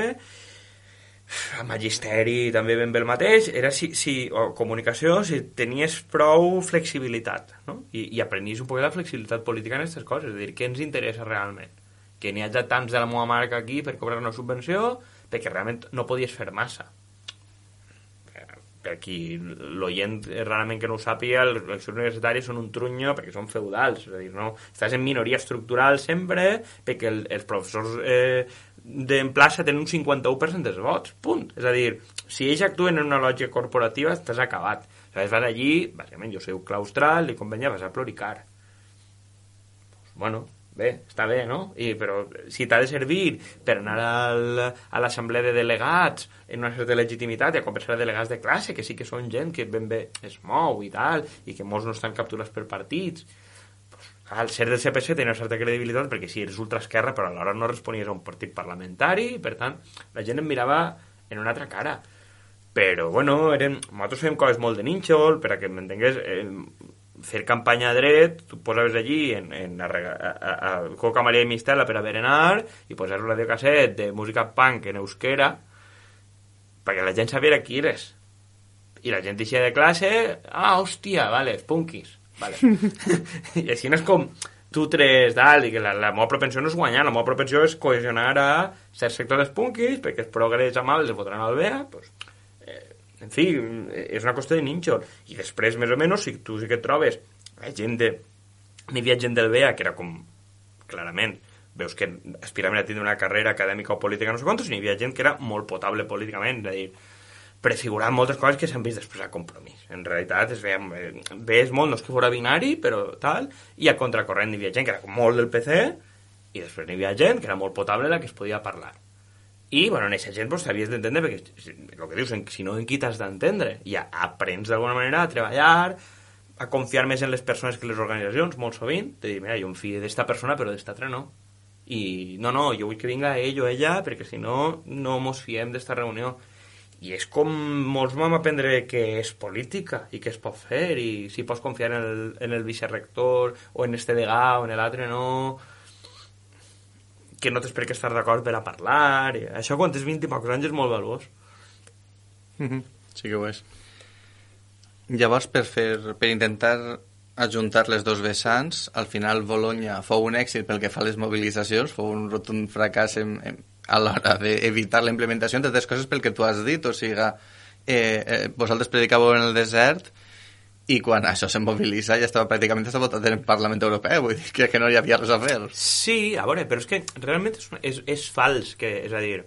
a magisteri també ben bé el mateix, era o comunicació, si tenies prou flexibilitat, no? I aprenies un poc la flexibilitat política en aquestes coses, és a dir, què ens interessa realment? Que n'hi hagi tants de la meva marca aquí per cobrar una subvenció, perquè realment no podies fer massa. Per qui l'oient rarament que no ho sàpiga, les eleccions universitàries són un trunyo perquè són feudals, és a dir, no, estàs en minoria estructural sempre perquè els professors d'en plaça tenen un 51% dels vots, punt. És a dir, si ells actuen en una lògica corporativa estàs acabat. Vas allí, bàsicament jo soc claustral i com venia vas a ploricar. Bueno, bé, està bé, no? Però si t'ha de servir per anar a l'assemblea de delegats en una certa legitimitat i a conversar de delegats de classe, que sí que són gent que ben bé es mou i tal, i que molts no estan capturats per partits, al ser del CPC tenia una certa credibilitat perquè sí, eres ultraesquerra, però alhora no responies a un partit parlamentari, per tant, la gent em mirava en una altra cara. Però, bueno, nosaltres fèiem coses molt de nínxol, per a que m'entengués, fer campanya a dret, tu posaves allí a Coca Maria i Mistela per a berenar i posaves un radiocasset de música punk en euskera perquè la gent sabia qui eres. I la gent eixia de classe, hòstia, vale, punkis. Vale. I així no és com tu tres dalt, i que la meva propensió no és guanyar, la meva propensió és cohesionar a certs sectors dels punkis perquè els progres amables els votaran al BEA, pues, en fi, és una qüestió de nínxol. I després, més o menys, si tu sí que et trobes gent n'hi havia gent del BEA que era com, clarament, veus que aspiraven a tindre una carrera acadèmica o política no sé quantos, i n'hi havia gent que era molt potable políticament, és a dir, prefigurant moltes coses que s'han vist després a Compromís. En realitat ves molt, no és que fora binari, però tal, i a contracorrent hi havia gent que era molt del PC, i després hi havia gent que era molt potable la que es podia parlar. I, bueno, en aquesta gent pues, t'havies d'entendre, perquè el que dius, si no, en qui t'has d'entendre? I aprens d'alguna manera a treballar, a confiar més en les persones que les organitzacions, molt sovint, de dir, mira, jo em fio d'esta persona, però d'esta altra no. I no, jo vull que vinga ell o ella, perquè si no, no mos fiem d'esta reunió. I és com molts vam aprendre que és política i que es pot fer i si pots confiar en el vicerector o en este degà o en l'altre no, que no tens per què estar d'acord per a parlar i això quan tens 20 i pocs anys és molt valuós. Sí que ho és. Llavors per intentar ajuntar les dos vessants, al final Bolonya fou un èxit pel que fa a les mobilitzacions, fou un rotund fracàs a l'hora d'evitar la implementació, entre altres coses pel que tu has dit, o sigui, vosaltres predicàveu en el desert i quan això se mobilitza ja estava pràcticament votat en el Parlament Europeu, vull dir que no hi havia res a fer. Sí, a veure, però és que realment és fals, és a dir,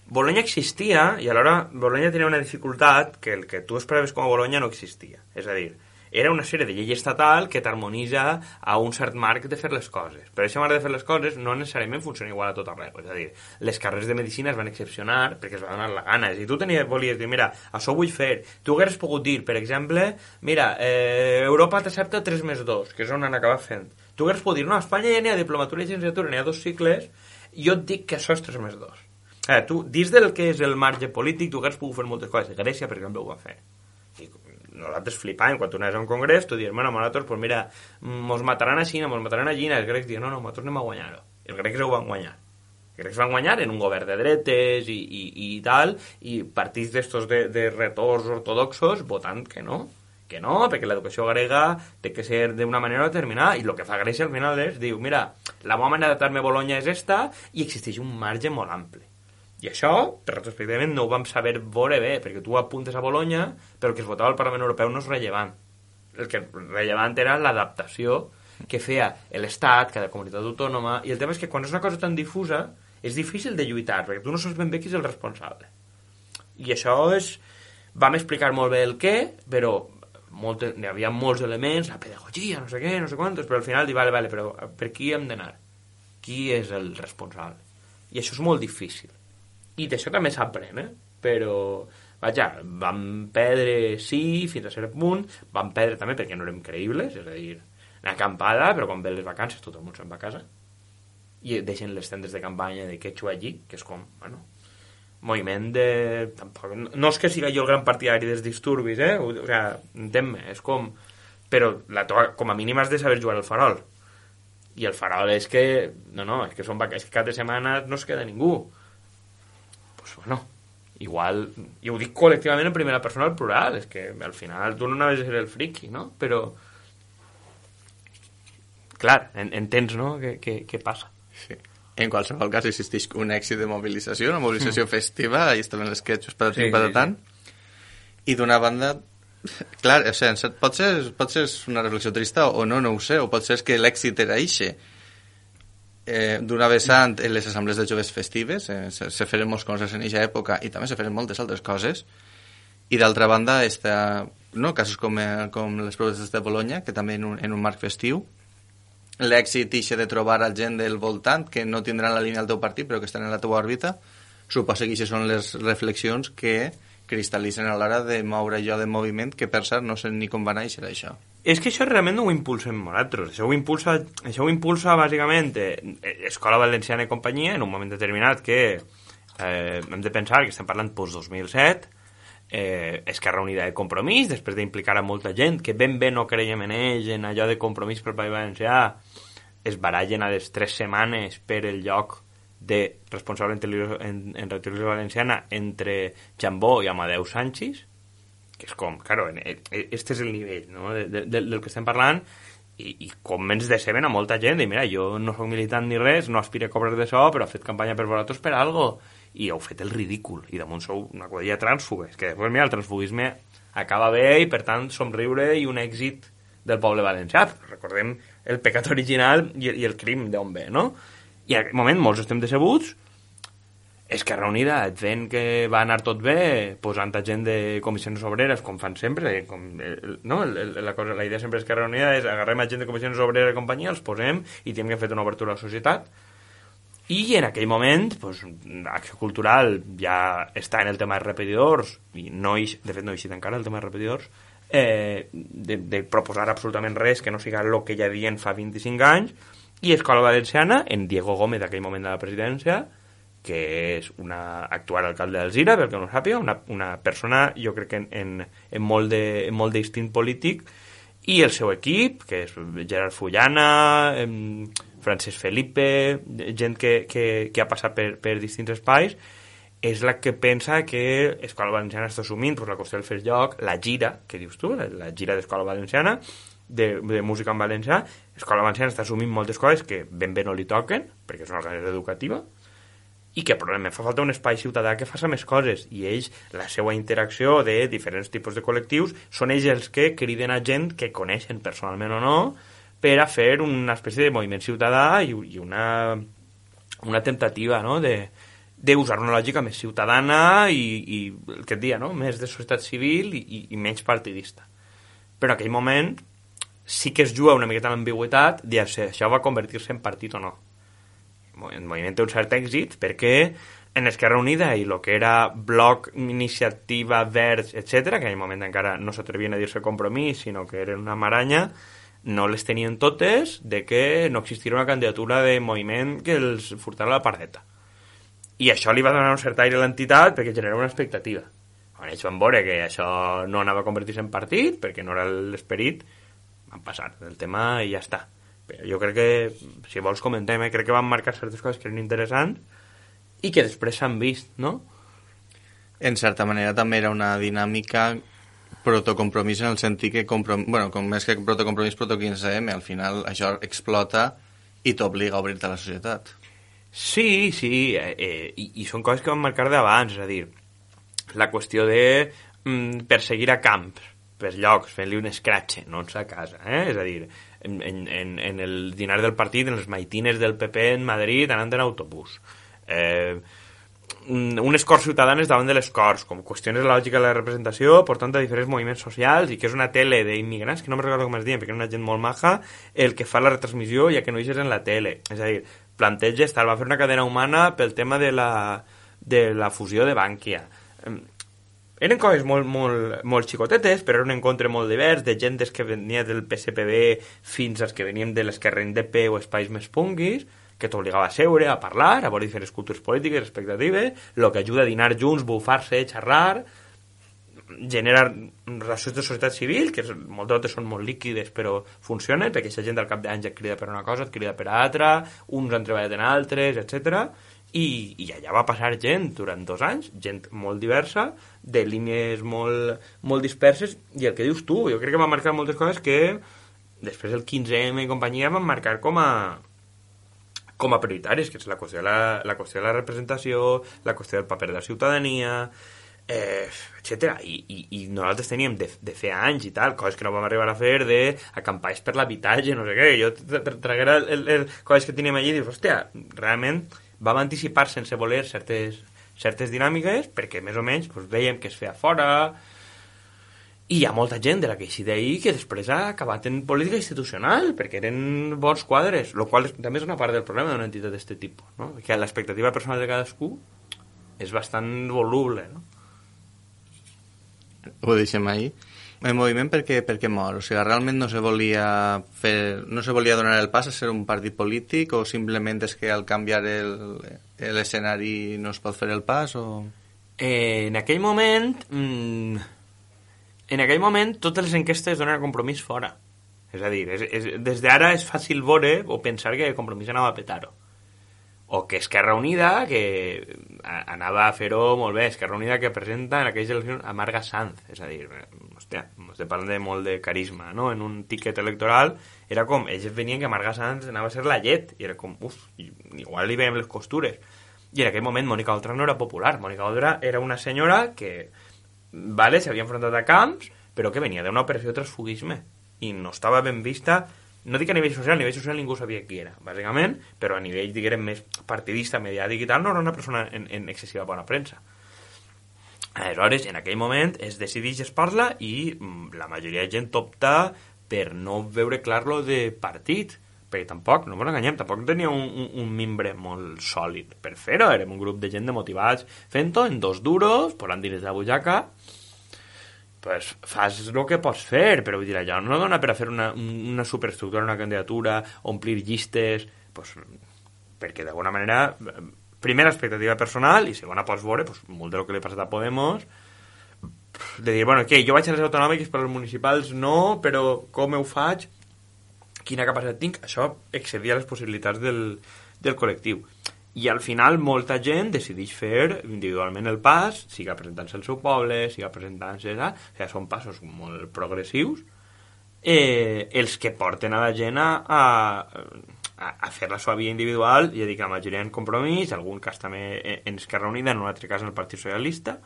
Bologna existia i alhora Bologna tenia una dificultat que el que tu esperaves com a Bologna no existia, és a dir, era una sèrie de llei estatal que t'harmonitza a un cert marc de fer les coses. Però aquest marc de fer les coses no necessàriament funciona igual a tot arreu. És a dir, les carreres de medicina es van excepcionar perquè es va donar la gana. Si tu volies dir, mira, això ho vull fer, tu hagueres pogut dir, per exemple, mira, Europa t'accepta 3+2, que és on han acabat fent. Tu hagueres pogut dir, no, a Espanya ja n'hi ha diplomatura i llicenciatura, n'hi ha 2 cicles, i jo et dic que això és 3+2. Tu, dins del que és el marge polític, tu hagueres pogut fer moltes coses. Grècia, per exemple, ho va fer. I nosaltres flipàvem, quan tu anaves a un congrés, tu dius, bueno, nosaltres, pues mira, mos mataran a Xina, mos mataran a Xina, els grecs diuen, no, nosaltres anem a guanyar-ho. Els grecs ho van guanyar. Els grecs van guanyar en un govern de dretes i tal, i partits d'estos de retors ortodoxos votant que no, perquè l'educació grega té que ser d'una manera determinada, i el que fa Grècia al final és, diu, mira, la meva manera d'adaptar-me a Bologna és esta, i existeix un marge molt ampli. I això, retrospectivament, no ho vam saber veure bé, perquè tu apuntes a Bologna, però el que es votava al Parlament Europeu no és rellevant. El que rellevant era l'adaptació que feia l'Estat, cada comunitat autònoma, i el tema és que quan és una cosa tan difusa, és difícil de lluitar, perquè tu no saps ben bé qui és el responsable. I això és... Vam explicar molt bé el què, però hi havia molts elements, la pedagogia, no sé què, no sé quantos, però al final dic, vale, però per qui hem d'anar? Qui és el responsable? I això és molt difícil. I d'això també s'aprèn, però, vaja, vam perdre, sí, fins a cert punt, vam perdre també perquè no érem creïbles, és a dir, una acampada, però quan ve les vacances tot el món se'n va a casa, i deixen les tendes de campanya de quechua allí, que és com, bueno, moviment de... Tampoc, no és que siga jo el gran partidari dels disturbis, o sigui, entén-me, és com... Però com a mínim has de saber jugar al farol. I el farol és que... No, és que cada setmana no es queda ningú. Pues bueno, igual, i ho dic col·lectivament en primera persona al plural, és que al final tu no anaves a ser el friki, no? Però, clar, entens, no?, què passa. Sí. En qualsevol cas, existeix un èxit de mobilització, una mobilització festiva, ahí estaven les quetxos patatant, i d'una banda, clar, o sigui, pot ser una reflexió trista o no ho sé, o pot ser que l'èxit era eixe. D'una vessant en les assemblees de joves festives se feren molts coses en aquesta època i també se feren moltes altres coses, i d'altra banda casos com les protestes de Bologna, que també en un marc festiu, l'èxit ixe de trobar a gent del voltant que no tindran la línia del teu partit però que estan en la teva òrbita, suposa que aquestes són les reflexions que cristal·litzen a l'hora de moure allò de moviment, que per cert no sé ni com va néixer això. És que això realment no ho impulsem nosaltres. Això ho impulsa bàsicament Escola Valenciana i companyia en un moment determinat que hem de pensar que estem parlant post-2007, Esquerra Unida de Compromís, després d'implicar a molta gent que ben bé no creiem en ells, en allò de Compromís pel País Valencià, es barallen a les 3 setmanes per el lloc de responsable en Televisió Valenciana entre Chambó i Amadeu Sánchez, que és com, claro, este és el nivell, no?, del que estem parlant, i com ens deceben a molta gent, i mira, jo no soc militant ni res, no aspiro a cobrar d'això, però he fet campanya per vosaltres per algo, i heu fet el ridícul, i damunt sou una quadrilla trànsfugues, que després, mira, el transfugisme acaba bé, i per tant somriure i un èxit del poble valencià. Recordem el pecat original i el crim d'on ve, no? I en aquest moment molts estem decebuts. Esquerra Unida et ven que va anar tot bé posant a gent de comissions obreres, com fan sempre, la idea sempre d'Esquerra Unida és agarrem a gent de comissions obreres i companyia, els posem i tenim que fer una obertura a la societat. I en aquell moment Acció Cultural ja està en el tema de repetidors, i de fet no ha eixit encara el tema de repetidors, de proposar absolutament res que no siga el que ja havien fa 25 anys, i Escola Valenciana, en Diego Gómez d'aquell moment de la presidència, que és una actual alcalde d'Alzira, pel que no sàpiga, una persona, jo crec que en molt d'instint polític, i el seu equip, que és Gerard Fullana, Francesc Felipe, gent que ha passat per distints espais, és la que pensa que Escola Valenciana està assumint la qüestió del fer lloc, la gira, que dius tu, la gira d'Escola Valenciana, de música en valencià. Escola Valenciana està assumint moltes coses que ben bé no li toquen, perquè és una organització educativa, i que probablement fa falta un espai ciutadà que faça més coses, i ells, la seva interacció de diferents tipus de col·lectius, són ells els que criden a gent que coneixen personalment o no, per a fer una espècie de moviment ciutadà i una temptativa, no?, d'usar una lògica més ciutadana i el que et dia, no?, més de societat civil i menys partidista. Però en aquell moment sí que es juga una miqueta l'ambigüitat de si això va convertir-se en partit o no. El moviment té un cert èxit perquè en Esquerra Unida i el que era Bloc, Iniciativa, Verds, etc., que en aquell moment encara no s'atrevien a dir-se Compromís, sinó que eren una maranya, no les tenien totes de que no existiria una candidatura de moviment que els furtara la pardeta. I això li va donar un cert aire a l'entitat perquè generava una expectativa. Quan ells van veure que això no anava a convertir-se en partit, perquè no era l'esperit, van passar del tema i ja està. Però jo crec que, si vols comentem, crec que van marcar certes coses que eren interessants i que després s'han vist, no? En certa manera també era una dinàmica protocompromís en el sentit que, bueno, com més que protocompromís, proto-15M, al final això explota i t'obliga a obrir-te a la societat. Sí, i són coses que van marcar d'abans, és a dir, la qüestió de perseguir a camps, per llocs, fent-li un escratxe, no a casa, és a dir, en el dinar del partit, en els maitines del PP en Madrid, anant en autobús. Unes Corts Ciutadanes davant de les Corts, com qüestions de la lògica de la representació, portant a diferents moviments socials, i que és una tele d'immigrants, que no me recordo com es diuen, perquè és una gent molt maja, el que fa la retransmissió ja que no eixes en la tele. És a dir, planteges, tal, va fer una cadena humana pel tema de la fusió de Bankia. Eren coses molt xicotetes, però era un encontre molt divers, de gent que venia del PSPB fins als que venien de l'esquerra indep o espais més punguis, que t'obligava a seure, a parlar, a veure diferents cultures polítiques, expectatives, el que ajuda a dinar junts, bufar-se, xerrar, generar relacions de societat civil, que moltes vegades són molt líquides, però funcionen, perquè aquesta gent al cap d'anys et crida per una cosa, et crida per altra, uns han treballat en altres, etc. I allà va passar gent durant 2 anys, gent molt diversa, de línies molt disperses, i el que dius tu, jo crec que va marcar moltes coses que després el 15M i companyia van marcar com a prioritàries, que és la qüestió de la representació, la qüestió del paper de la ciutadania, etc. I nosaltres teníem de fer anys i tal, coses que no vam arribar a fer, d'acampar per l'habitatge, no sé què, jo traguera coses que teníem allí i dius, hòstia, realment vam anticipar sense voler certes dinàmiques perquè més o menys veiem que es feia fora, i hi ha molta gent de la que així d'ahir que després ha acabat en política institucional perquè eren bons quadres, el qual també és una part del problema d'una entitat d'aquest tipus, no? Que l'expectativa personal de cadascú és bastant voluble, no? Ho deixem ahir. El moviment per què mor? O sigui, realment no se volia donar el pas a ser un partit polític, o simplement és que al canviar l'escenari no es pot fer el pas, o...? En aquell moment totes les enquestes donen Compromís fora. És a dir, des d'ara és fàcil veure o pensar que Compromís anava a petar-ho. O que Esquerra Unida, que anava a fer-ho molt bé, Esquerra Unida que presenta en aquelles eleccions a Marga Sanz, és a dir, hòstia, estem parlant de molt de carisma, no? En un tiquet electoral era com, ells venien que Marga Sanz anava a ser la llet, i era com, igual li veiem les costures. I en aquell moment Mònica Oltra no era popular, Mònica Oltra era una senyora que, vale, s'havia enfrontat a camps, però que venia d'una operació de transfugisme, i no estava ben vista. No dic a nivell social ningú sabia qui era, bàsicament, però a nivell, diguem, més partidista, mediàtic i tal, no era una persona en excessiva bona premsa. Aleshores, en aquell moment es decideix, es parla, i la majoria de gent opta per no veure clar lo de partit, perquè tampoc, no ens enganyem, tampoc tenia un membre molt sòlid per fer-ho, érem un grup de gent de motivats fent-ho en 2 duros, posant diners de la butxaca, pues fas el que pots fer, però vull dir, allò no dona per a fer una superestructura, una candidatura, omplir llistes, pues, perquè d'alguna manera, primera expectativa personal, i segona pots veure, pues, molt de lo que li ha passat a Podemos, de dir, bueno, què, jo vaig a les autonòmiques, però les municipals no, però com ho faig? Quina capacitat tinc? Això excedia les possibilitats del col·lectiu. I al final molta gent decideix fer individualment el pas, siga presentant-se al seu poble, siga presentant-se... O sigui, són passos molt progressius, els que porten a la gent a a fer la seva via individual, i a dir que la majoria en Compromís, algun cas també en Esquerra Unida, en un altre cas en el Partit Socialista,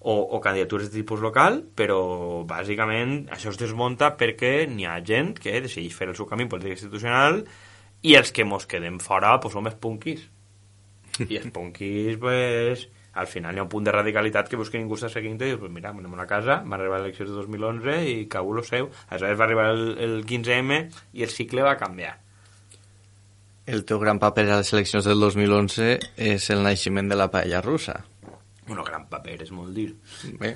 o candidatures de tipus local, però bàsicament això es desmunta perquè n'hi ha gent que decideix fer el seu camí polític institucional i els que mos quedem fora pues, som els punquis. I els punquis, pues, al final hi ha un punt de radicalitat que veus que ningú està seguint i dius, pues mira, anem a una casa, va arribar l'elecció de 2011 i cau lo seu. Aleshores va arribar el 15M i el cicle va canviar. El teu gran paper a les eleccions del 2011 és el naixement de la paella russa. Bueno, gran paper, és molt dir. Bé,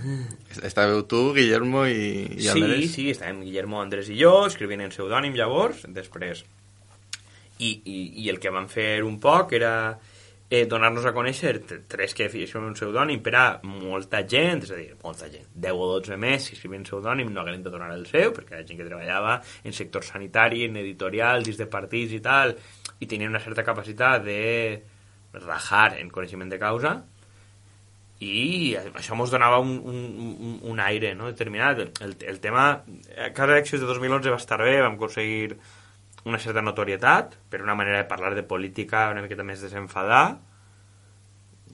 estàveu tu, Guillermo i Andrés? Sí, estàvem Guillermo, Andrés i jo, escrivint en pseudònim llavors, després. I el que vam fer un poc era donar-nos a conèixer tres que són un pseudònim per a molta gent, és a dir, molta gent, 10 o 12 més, si escrivien pseudònim no hagueren de donar el seu, perquè la gent que treballava en sector sanitari, en editorial, dins de partits i tal, i tenien una certa capacitat de rajar en coneixement de causa, i això ens donava un aire, no, determinat. El tema, cada elecció de 2011 va estar bé, vam aconseguir una certa notorietat, per una manera de parlar de política una miqueta més desenfadar,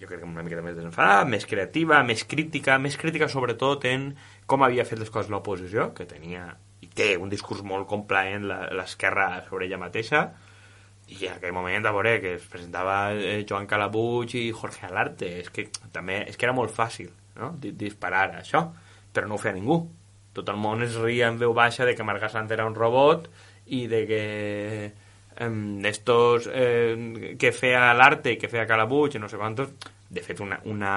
jo crec que una miqueta més desenfadar, més creativa, més crítica sobretot en com havia fet les coses l'oposició, que tenia i té un discurs molt complaent l'esquerra sobre ella mateixa, i en aquell moment, a veure, que es presentava Joan Calabuig i Jorge Alarte, és que era molt fàcil, no?, disparar això, però no ho feia ningú. Tot el món es ria en veu baixa de que Marga Sant era un robot i de que estos que feia l'arte i que feia Calabuig i no sé quantos. De fet, una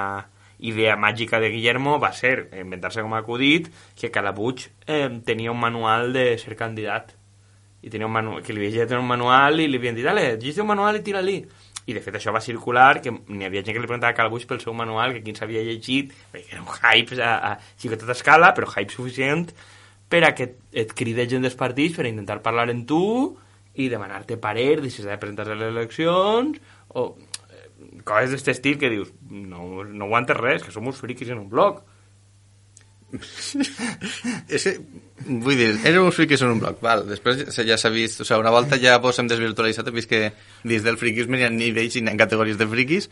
idea màgica de Guillermo va ser inventar-se com a acudit que Calabuig tenia un manual de ser candidat, i tenia un manual, que li havia llegit un manual i li havien dit, dale, llegeix un manual i tira-li. I de fet això va circular, que n'hi havia gent que li preguntava a Calabuig pel seu manual, que quin s'havia llegit, perquè era un hype a xicoteta escala, però hype suficient per a que et cride gent dels partits per a intentar parlar en tu i demanar-te parer de si s'ha de presentar a les eleccions, o coses d'aquest estil que dius, no aguantes res, que som uns friquis en un blog. És que, vull dir, érem uns friquis en un bloc, val. Després ja s'ha vist, o sigui, una volta ja vos hem desvirtualitzat, he vist que dins del friquisme hi ha nivells i hi ha categories de friquis,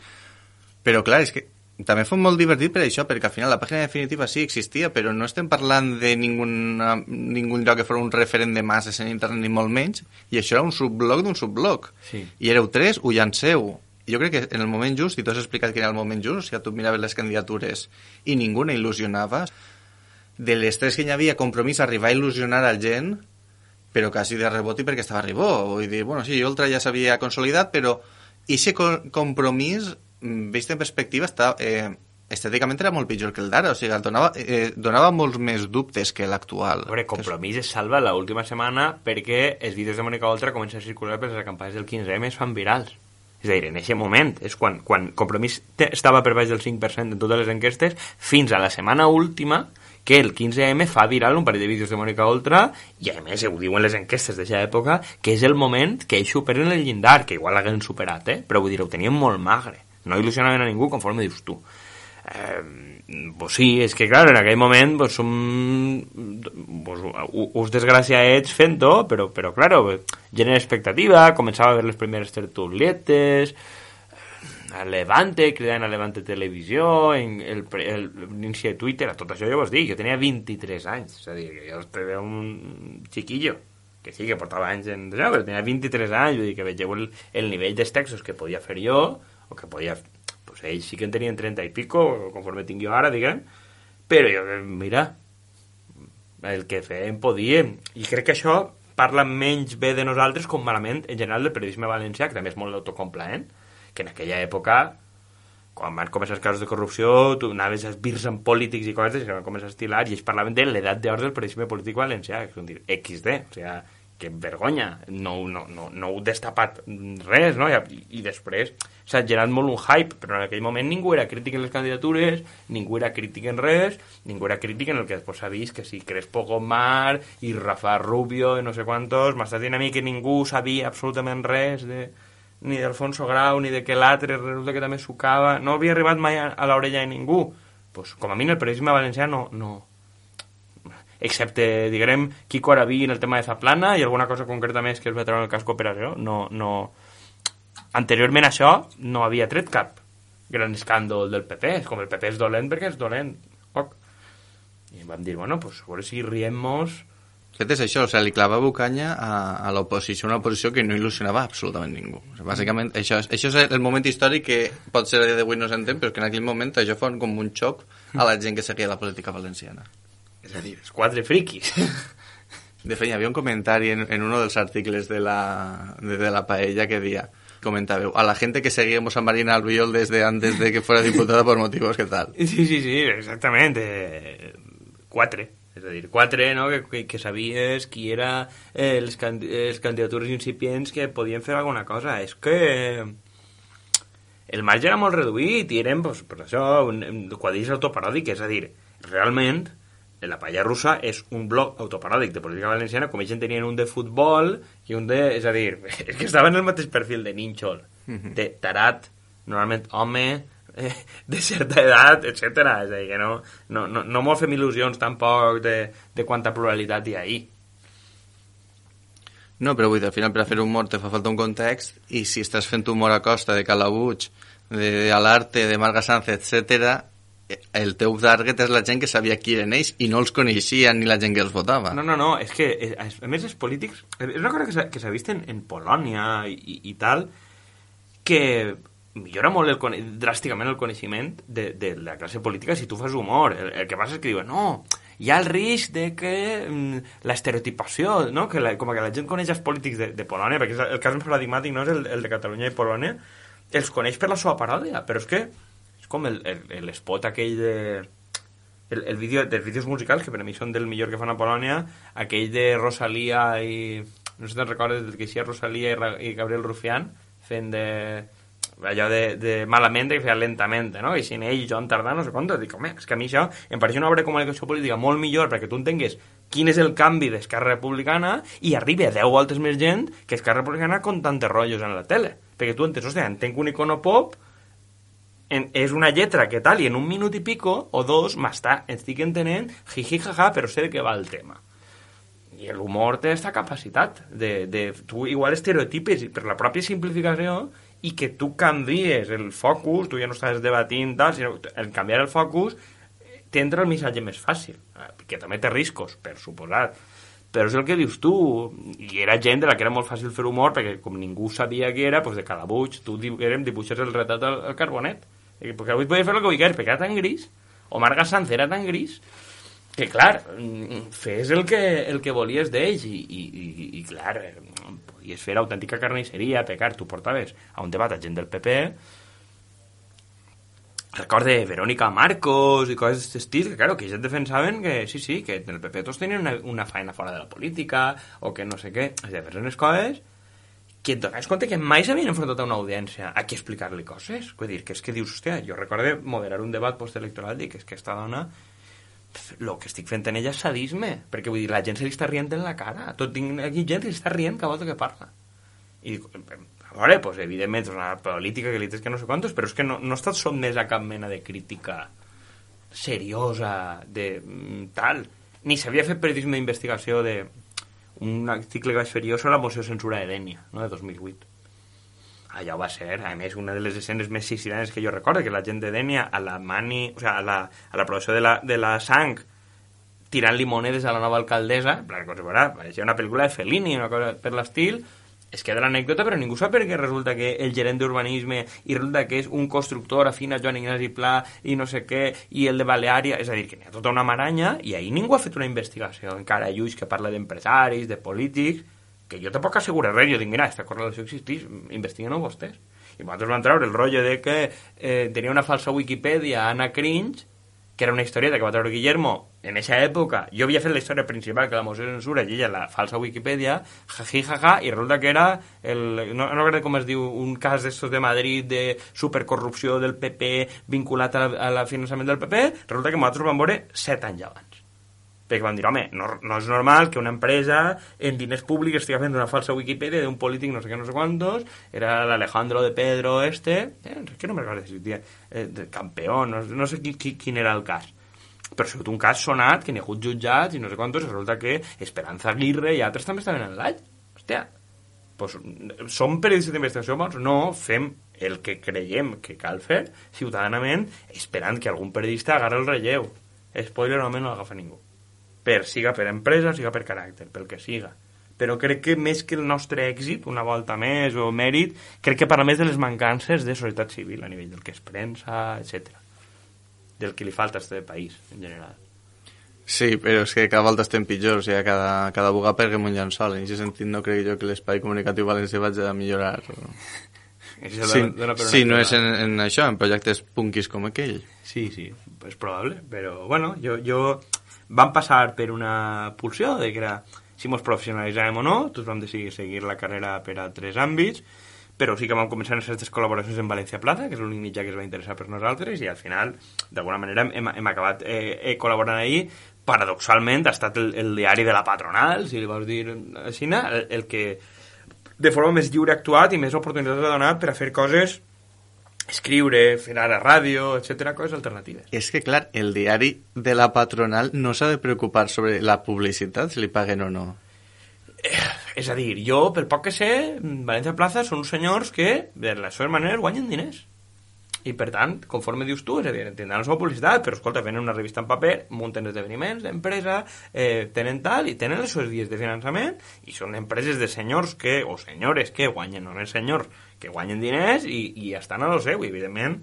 però clar, és que també fou molt divertit per això, perquè al final la pàgina definitiva sí existia, però no estem parlant de ningun lloc que fos un referent de masses en internet, ni molt menys, i això era un subblog d'un subblog. Sí. I éreu tres, ho llanceu. Jo crec que en el moment just, i tu has explicat que era el moment just, o sigui, tu miraves les candidatures i ningú il·lusionava. De les tres que hi havia, Compromís arribar a il·lusionar a gent, però quasi de rebot i perquè estava a ribó. Vull dir, bueno, sí, Ultra ja s'havia consolidat, però aquest Compromís, vist en perspectiva, estèticament era molt pitjor que el d'ara, o sigui, donava molts més dubtes que l'actual. A veure, Compromís es salva l'última setmana perquè els vídeos de Mònica Oltra comencen a circular perquè les campanyes del 15M es fan virals. És a dir, en aquest moment, és quan Compromís estava per baix del 5% en totes les enquestes, fins a la setmana última, que el 15M fa viral un parell de vídeos de Mònica Oltra i a més ho diuen les enquestes d'aquesta època que és el moment que ells superen el llindar, que igual l'haguem superat, però vull dir, ho tenien molt magre, no il·lusionaven a ningú conforme dius tu. Pues sí, és que clar, en aquell moment pues, som uns desgraciats fent-ho, però claro, genera expectativa, començava a veure les primeres tertulietes, a Levante, cridant a Levante Televisió, l'inici de Twitter, a tot això jo vos dic, jo tenia 23 anys, és a dir, que jo era un chiquillo, que sí, que portava anys en això, però tenia 23 anys, vull dir que vegeu el nivell dels textos que podia fer jo, o que podia, pues ells sí que en tenien 30 i pico, conforme tinc jo ara, diguem, però jo, mira, el que fèiem podíem, i crec que això parla menys bé de nosaltres com malament en general del periodisme valencià, que també és molt autocomplaent, que en aquella època, quan van començar els casos de corrupció, tu anaves a esbirs amb polítics i coses que van començar a estilar, i ells parlaven de l'edat d'or del periodisme polític valencià, que és dir, XD, o sigui, que vergonya, no heu destapat res, no? I després s'ha generat molt un hype, però en aquell moment ningú era crític en les candidatures, ningú era crític en res, ningú era crític en el que després s'ha vist, que si Crespo Gomar i Rafa Rubio i no sé quantos, m'està dient a mi que ningú sabia absolutament res ni d'Alfonso Grau, ni de que l'altre resulta que també sucava, no havia arribat mai a l'orella de ningú. Pues, com a mi, el periodisme valencià no... excepte, diguem, Quico Araví en el tema de Zaplana i alguna cosa concreta més que es va treure en el cas cooperació. No. Anteriorment a això no havia tret cap gran escàndol del PP. És com el PP és dolent perquè és dolent. I vam dir, bueno, pues a veure si riem-nos... Fet és això, o sigui, li clavava canya a l'oposició, una oposició que no il·lusionava absolutament ningú. O sigui, bàsicament, això és el moment històric que pot ser a dia d'avui no s'entén, però que en aquell moment això fos com un xoc a la gent que seguia la política valenciana. És a dir, els 4 friquis. De fet, hi havia un comentari en uno dels articles de la Paella que deia, comentàveu, a la gente que seguíamos a Marina Albiol desde antes de que fuera diputada por motivos que tal. Sí, exactament. 4. És a dir, 4, no? que sabies qui era les candidatures incipients que podien fer alguna cosa. És que el marge era molt reduït i eren, pues, per això, quadrilles autoparòdiques. És a dir, realment, la Paella Russa és un blog autoparòdic de política valenciana, com ells en tenien un de futbol i un de... És a dir, és que estaven en el mateix perfil de nínxol, de tarat, normalment home... de certa edat, etc. És a dir, que no mos fem il·lusions tampoc de quanta pluralitat hi ha ahí. No, però vull dir, al final per a fer humor te fa falta un context i si estàs fent humor a costa de Calabuig, de Alarte, de Marga Sánchez, etc., el teu target és la gent que sabia qui eren ells i no els coneixia ni la gent que els votava. No, és que a més els polítics... És una cosa que s'ha vist en Polònia i tal, que... millora molt dràsticament el coneixement de la classe política si tu fas humor. El que passa és que diuen, no, hi ha el risc de que l'estereotipació, no? Com que la gent coneix els polítics de Polònia, perquè el cas més paradigmàtic no és el de Catalunya i Polònia, els coneix per la seva paròdia, però és que és com l'espot aquell de... El vídeo dels vídeos musicals, que per a mi són del millor que fan a Polònia, aquell de Rosalía i... no sé si te'n recordes del que hi ha Rosalía i Gabriel Rufián fent de... allò de malamente que feia lentamente, no? I sin ell, Joan Tardà, no sé quant, dic, home, és que a mi això em pareix una obra de comunicació política molt millor perquè tu entengues quin és el canvi d'Esquerra Republicana i arribi a 10 voltes més gent que Esquerra Republicana con tantes rotllos en la tele. Perquè tu entens, hòstia, entenc un icono pop, és una lletra que tal, i en un minut i pico, o 2, estic entenent, jiji, jaja, però sé de què va el tema. I l'humor té aquesta capacitat de tu igual estereotipes per la pròpia simplificació i que tu canvies el focus, tu ja no estàs debatint tal, sinó en canviar el focus t'entra el missatge més fàcil, que també té riscos, per suposat, però és el que dius tu, i era gent de la que era molt fàcil fer humor, perquè com ningú sabia què era, doncs de Calabuig, tu dibuixes el retrat al carbonet, perquè avui podia fer el que vulguis, perquè era tan gris, o Marga Sánchez era tan gris, que clar, fes el que volies d'ells i clar, podies fer autèntica carnisseria, pecar, tu portaves a un debat a gent del PP, record de Verónica Marcos i coses d'aquest estil, que claro, que ells defensaven que sí, que en el PP tots tenien una feina fora de la política, o que no sé què, és de fer unes coses que et donaves compte que mai s'havien enfrontat a una audiència a qui explicar-li coses, vull dir, que és que dius, hòstia, jo recordo moderar un debat postelectoral i que és que esta dona el que estic fent en ella és sadisme, perquè vull dir, la gent se li està rient en la cara, tinc aquí gent que li està rient cada volta que parla. I dic, a veure, pues, evidentment és una política que li tens que no sé quantos, però és que no estàs sotmès a cap mena de crítica seriosa de tal, ni s'havia fet periodisme d'investigació de un article que vaig fer jo sobre la moció de censura de Dènia, no, de 2008. Allò va ser, a més, una de les escenes més sicilianes que jo recordo, que la gent de Dènia a l'aprovació de la sang tirant-li monedes a la nova alcaldessa, pareixia una pel·lícula de Fellini, una cosa per l'estil, es queda l'anècdota, però ningú sap perquè resulta que el gerent d'urbanisme i resulta que és un constructor afín a Joan Ignasi Pla i no sé què, i el de Baleària, és a dir, que n'hi ha tota una maranya, i ahir ningú ha fet una investigació, encara Lluís que parla d'empresaris, de polítics, que jo tampoc asseguro res, jo dic, mira, aquesta correlació existeix, investiguen-ho vostès. I nosaltres vam treure el rotllo de que tenia una falsa Wikipedia, Anna Cringe, que era una historieta que va treure Guillermo en aquesta època. Jo havia fet la història principal, que la moció de censura, i ella la falsa Wikipedia, jaja, i resulta que era, no recordo com es diu, un cas d'estos de Madrid de supercorrupció del PP vinculat al finançament del PP, resulta que nosaltres vam veure 7 anys abans. Perquè vam dir, home, no és normal que una empresa en diners públics estigui fent una falsa Wikipedia d'un polític no sé què, no sé quantos, era l'Alejandro de Pedro que no me recordo si de campeón, no sé quin era el cas. però ha sigut un cas sonat, que n'hi ha hagut jutjats i no sé quantos, resulta que Esperanza Aguirre i altres també estaven en l'all. Hòstia, pues, som periodistes d'investigació bons? No, fem el que creiem que cal fer ciutadανament, esperant que algun periodista agarri el relleu. Spoiler, normalment no l'agafa ningú. Siga per empresa, siga per caràcter, pel que siga. Però crec que més que el nostre èxit, una volta més, o mèrit, crec que parla més de les mancances de societat civil a nivell del que es premsa, etc. Del que li falta a este país, en general. Sí, però és que cada volta estem pitjors, o sigui, cada vegada perguem un llençol. En aquest sentit no crec jo que l'espai comunicatiu valencià vagi a millorar. Sí, no és en això, en projectes punquis com aquell. Sí, és probable, però bueno, jo vam passar per una pulsió de que era si mos professionalitzàvem o no, tots vam decidir seguir la carrera per altres àmbits, però sí que vam començar en aquestes col·laboracions en València Plaza, que és l'únic mitjà que es va interessar per nosaltres, i al final, d'alguna manera, hem acabat col·laborant ahí. Paradoxalment, ha estat el diari de la patronal, si li vols dir així, el que de forma més lliure ha actuat i més oportunitats ha donat per a fer coses, escriure, fer ara ràdio, etc., coses alternatives. És que, clar, el diari de la patronal no s'ha de preocupar sobre la publicitat, si li paguen o no. És a dir, jo, pel poc que sé, València Plaza són uns senyors que, de les seves maneres, guanyen diners. I, per tant, conforme dius tu, és a dir, tindran la seva publicitat, però, escolta, venen una revista en paper, munten esdeveniments d'empresa, tenen tal, i tenen les seves vies de finançament, i són empreses de senyors que, o senyores que guanyen, no és senyors, que guanyen diners i estan a lo seu, i, evidentment,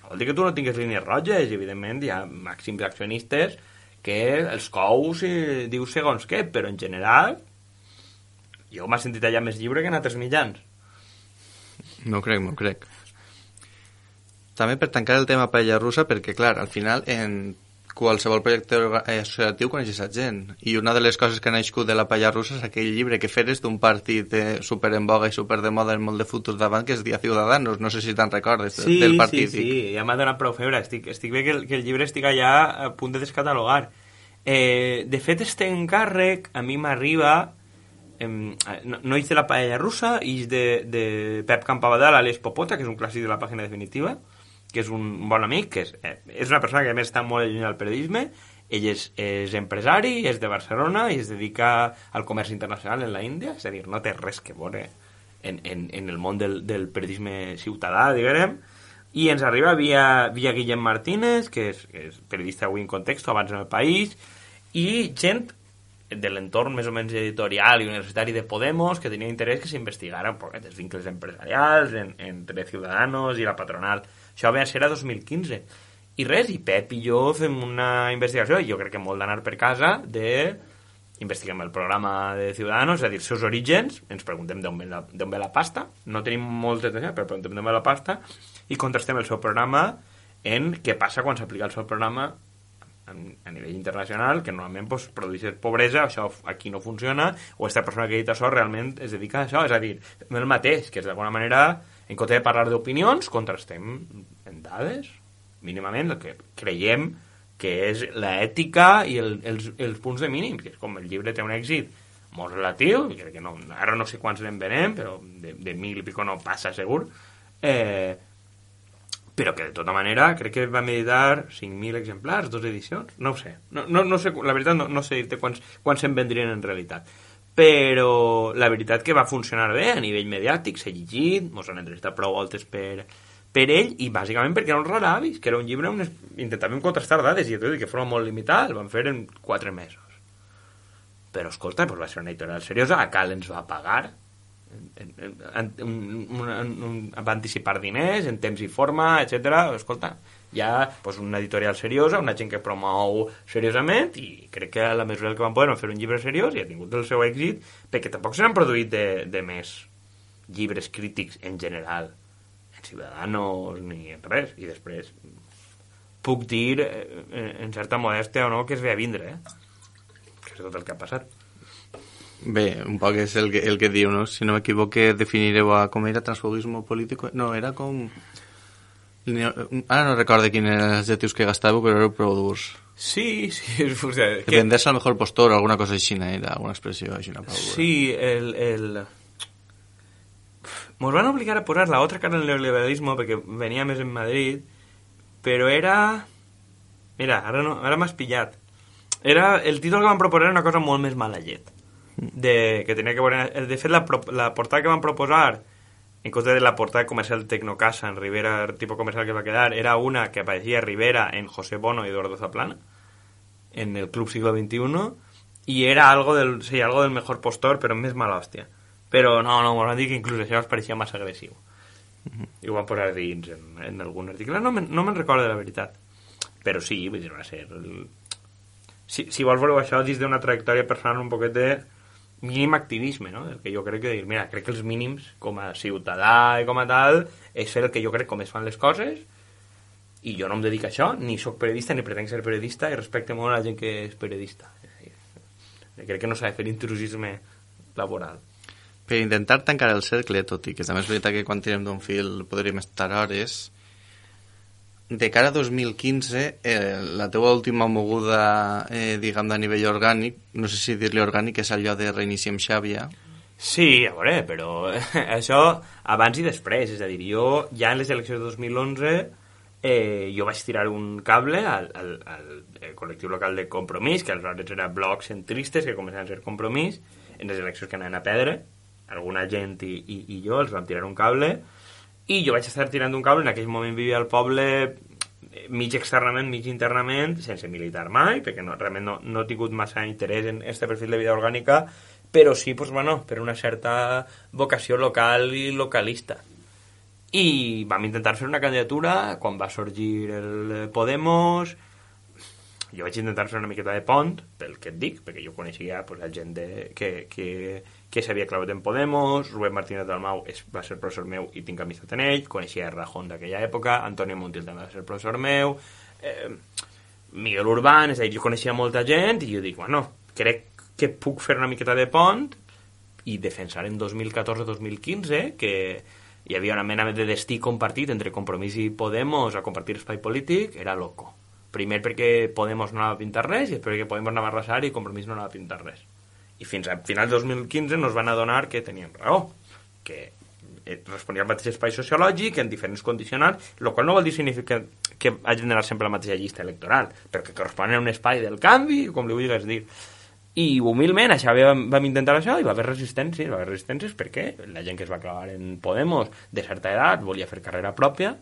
vol dir que tu no tingues línies roges, i, evidentment, hi ha màxims accionistes que els cous dius segons què, però, en general, jo m'ha sentit allà més lliure que en altres mitjans. No crec. També per tancar el tema paella russa, perquè, clar, al final, en qualsevol projecte associatiu coneixes a gent. I una de les coses que ha nascut de la paella russa és aquell llibre que feres d'un partit super en boga i super de moda en molt de futurs davant, que es dia Ciudadanos. No sé si te'n recordes del partit. Sí, ja m'ha donat prou febre. Estic bé que el llibre estic allà a punt de descatalogar. De fet, este encàrrec a mi m'arriba... no és de la paella russa, és de Pep Campabadal, alias Popota, que és un clàssic de la pàgina definitiva, que és un bon amic, que és una persona que a més està molt allunyada del periodisme. Ell és empresari, és de Barcelona i es dedica al comerç internacional en la Índia, és a dir, no té res que veure en el món del periodisme ciutadà, diguem, i ens arriba via Guillem Martínez, que és periodista avui en Contexto, abans en El País, i gent de l'entorn més o menys editorial i universitari de Podemos que tenia interès que s'investigara un poc els vincles empresarials entre Ciudadanos i la patronal. Això va ser a 2015. I res, i Pep i jo fem una investigació, i jo crec que molt d'anar per casa, investiguem el programa de Ciudadanos, és a dir, els seus orígens, ens preguntem d'on ve la pasta, no tenim molt de temps, però preguntem d'on ve la pasta, i contrastem el seu programa en què passa quan s'aplica el seu programa a nivell internacional, que normalment pues, produeix pobresa, això aquí no funciona, o aquesta persona que ha dit això realment es dedica a això, és a dir, el mateix, que és d'alguna manera, en compte de parlar d'opinions, contrastem en dades, mínimament, el que creiem que és l'ètica i els punts de mínim, que és com el llibre té un èxit molt relatiu, i crec que no, ara no sé quants n'en venem, però de 1.000 i pico no passa segur, però que de tota manera crec que va meditar 5.000 exemplars, 2 edicions, no ho sé, no sé, la veritat no sé dir-te quants se'n vendrien en realitat, però la veritat que va funcionar bé a nivell mediàtic, s'ha llegit, mos han entrevistat prou voltes per ell, i bàsicament perquè era un raravis, que era un llibre on intentàvem contrastar dades, i tot i que fora molt limitat, el van fer en 4 mesos. Però escolta, pues va ser una editorial seriosa, a Cal ens va pagar, va anticipar diners en temps i forma, etc. Escolta, hi ha pues, una editorial seriosa, una gent que promou seriosament, i crec que a la mesura que van poder fer un llibre seriós i ha tingut el seu èxit, perquè tampoc se n'han produït de més llibres crítics en general en Ciudadanos ni en res, i després puc dir en certa modèstia o no que es ve a vindre, que és tot el que ha passat. Bé, un poc és el que diu, no? Si no m'equivoque, definireu com era transfugisme polític. No, era com... Ara no recordo quins eren els adjectius que gastàveu, però era prou durs. Sí, o sea, que venderse al mejor postor o alguna cosa així, era alguna expressió així. Sí, Nos van obligar a posar la otra cara del neoliberalismo perquè venia més en Madrid, però era... Mira, ara m'has pillat. El títol que van proposar era una cosa molt més mala llet. Que tenia que veure... De fet, la portada que van proposar, en compte de la portada comercial Tecnocasa en Rivera, el tipo comercial que va quedar, era una que aparecía Rivera en José Bono y Eduardo Zaplana, en el Club Siglo XXI, y era algo del mejor postor, però més mala hòstia. Però no, m'ho van dir que inclús això els pareixia massa agressiu. I ho van posar dins en algun article. No me'n recordo de la veritat. Però sí, vull dir, va ser... Si vols veure això dins d'una trajectòria personal un poquet de mínim activisme, no? El que jo crec que dir, mira, crec que els mínims com a ciutadà i com a tal és fer el que jo crec com es fan les coses, i jo no em dedico a això, ni sóc periodista ni pretenc ser periodista, i respecte molt a la gent que és periodista. Crec que no s'ha de fer intrusisme laboral. Per intentar tancar el cercle, tot i que també és veritat que quan tirem d'un fil podríem estar hores, de cara a 2015, la teva última moguda, diguem, a nivell orgànic, no sé si dir-li orgànic, és allò de reiniciem Xàbia. Sí, a veure, però això abans i després, és a dir, jo ja en les eleccions de 2011 jo vaig tirar un cable al col·lectiu local de Compromís, que aleshores era blocs centristes que començaven a ser Compromís, en les eleccions que anaven a perdre, alguna gent i jo els vam tirar un cable, i jo vaig estar tirant un cable. En aquell moment vivia al poble mig externament, mig internament, sense militar mai, perquè realment no he tingut massa interès en este perfil de vida orgànica, però sí, pues, bueno, per una certa vocació local i localista. I vam intentar fer una candidatura quan va sorgir el Podemos. Jo vaig intentar fer una miqueta de pont, pel que et dic, perquè jo coneixia pues, la gent que s'havia clavat en Podemos. Rubén Martínez Dalmau va ser professor meu i tinc amistat en ell. Coneixia Rajón d'aquella època. Antonio Montiel també va ser professor meu. Miguel Urbán, és a dir, jo coneixia molta gent i jo dic, bueno, crec que puc fer una miqueta de pont i defensar en 2014-2015 que hi havia una mena de destí compartit entre Compromís i Podemos a compartir espai polític, era loco. Primer perquè Podemos no anava a pintar res i després perquè Podemos anava a arrasar i Compromís no anava a pintar res. I fins a final de 2015 nos van adonar que teníem raó, que responia al mateix espai sociològic en diferents condicionants, el qual no vol dir significa que hagin d'anar sempre a la mateixa llista electoral, però que corresponen a un espai del canvi, com li vulguis dir. I humilment això vam intentar això i va haver resistències perquè la gent que es va clavar en Podemos de certa edat volia fer carrera pròpia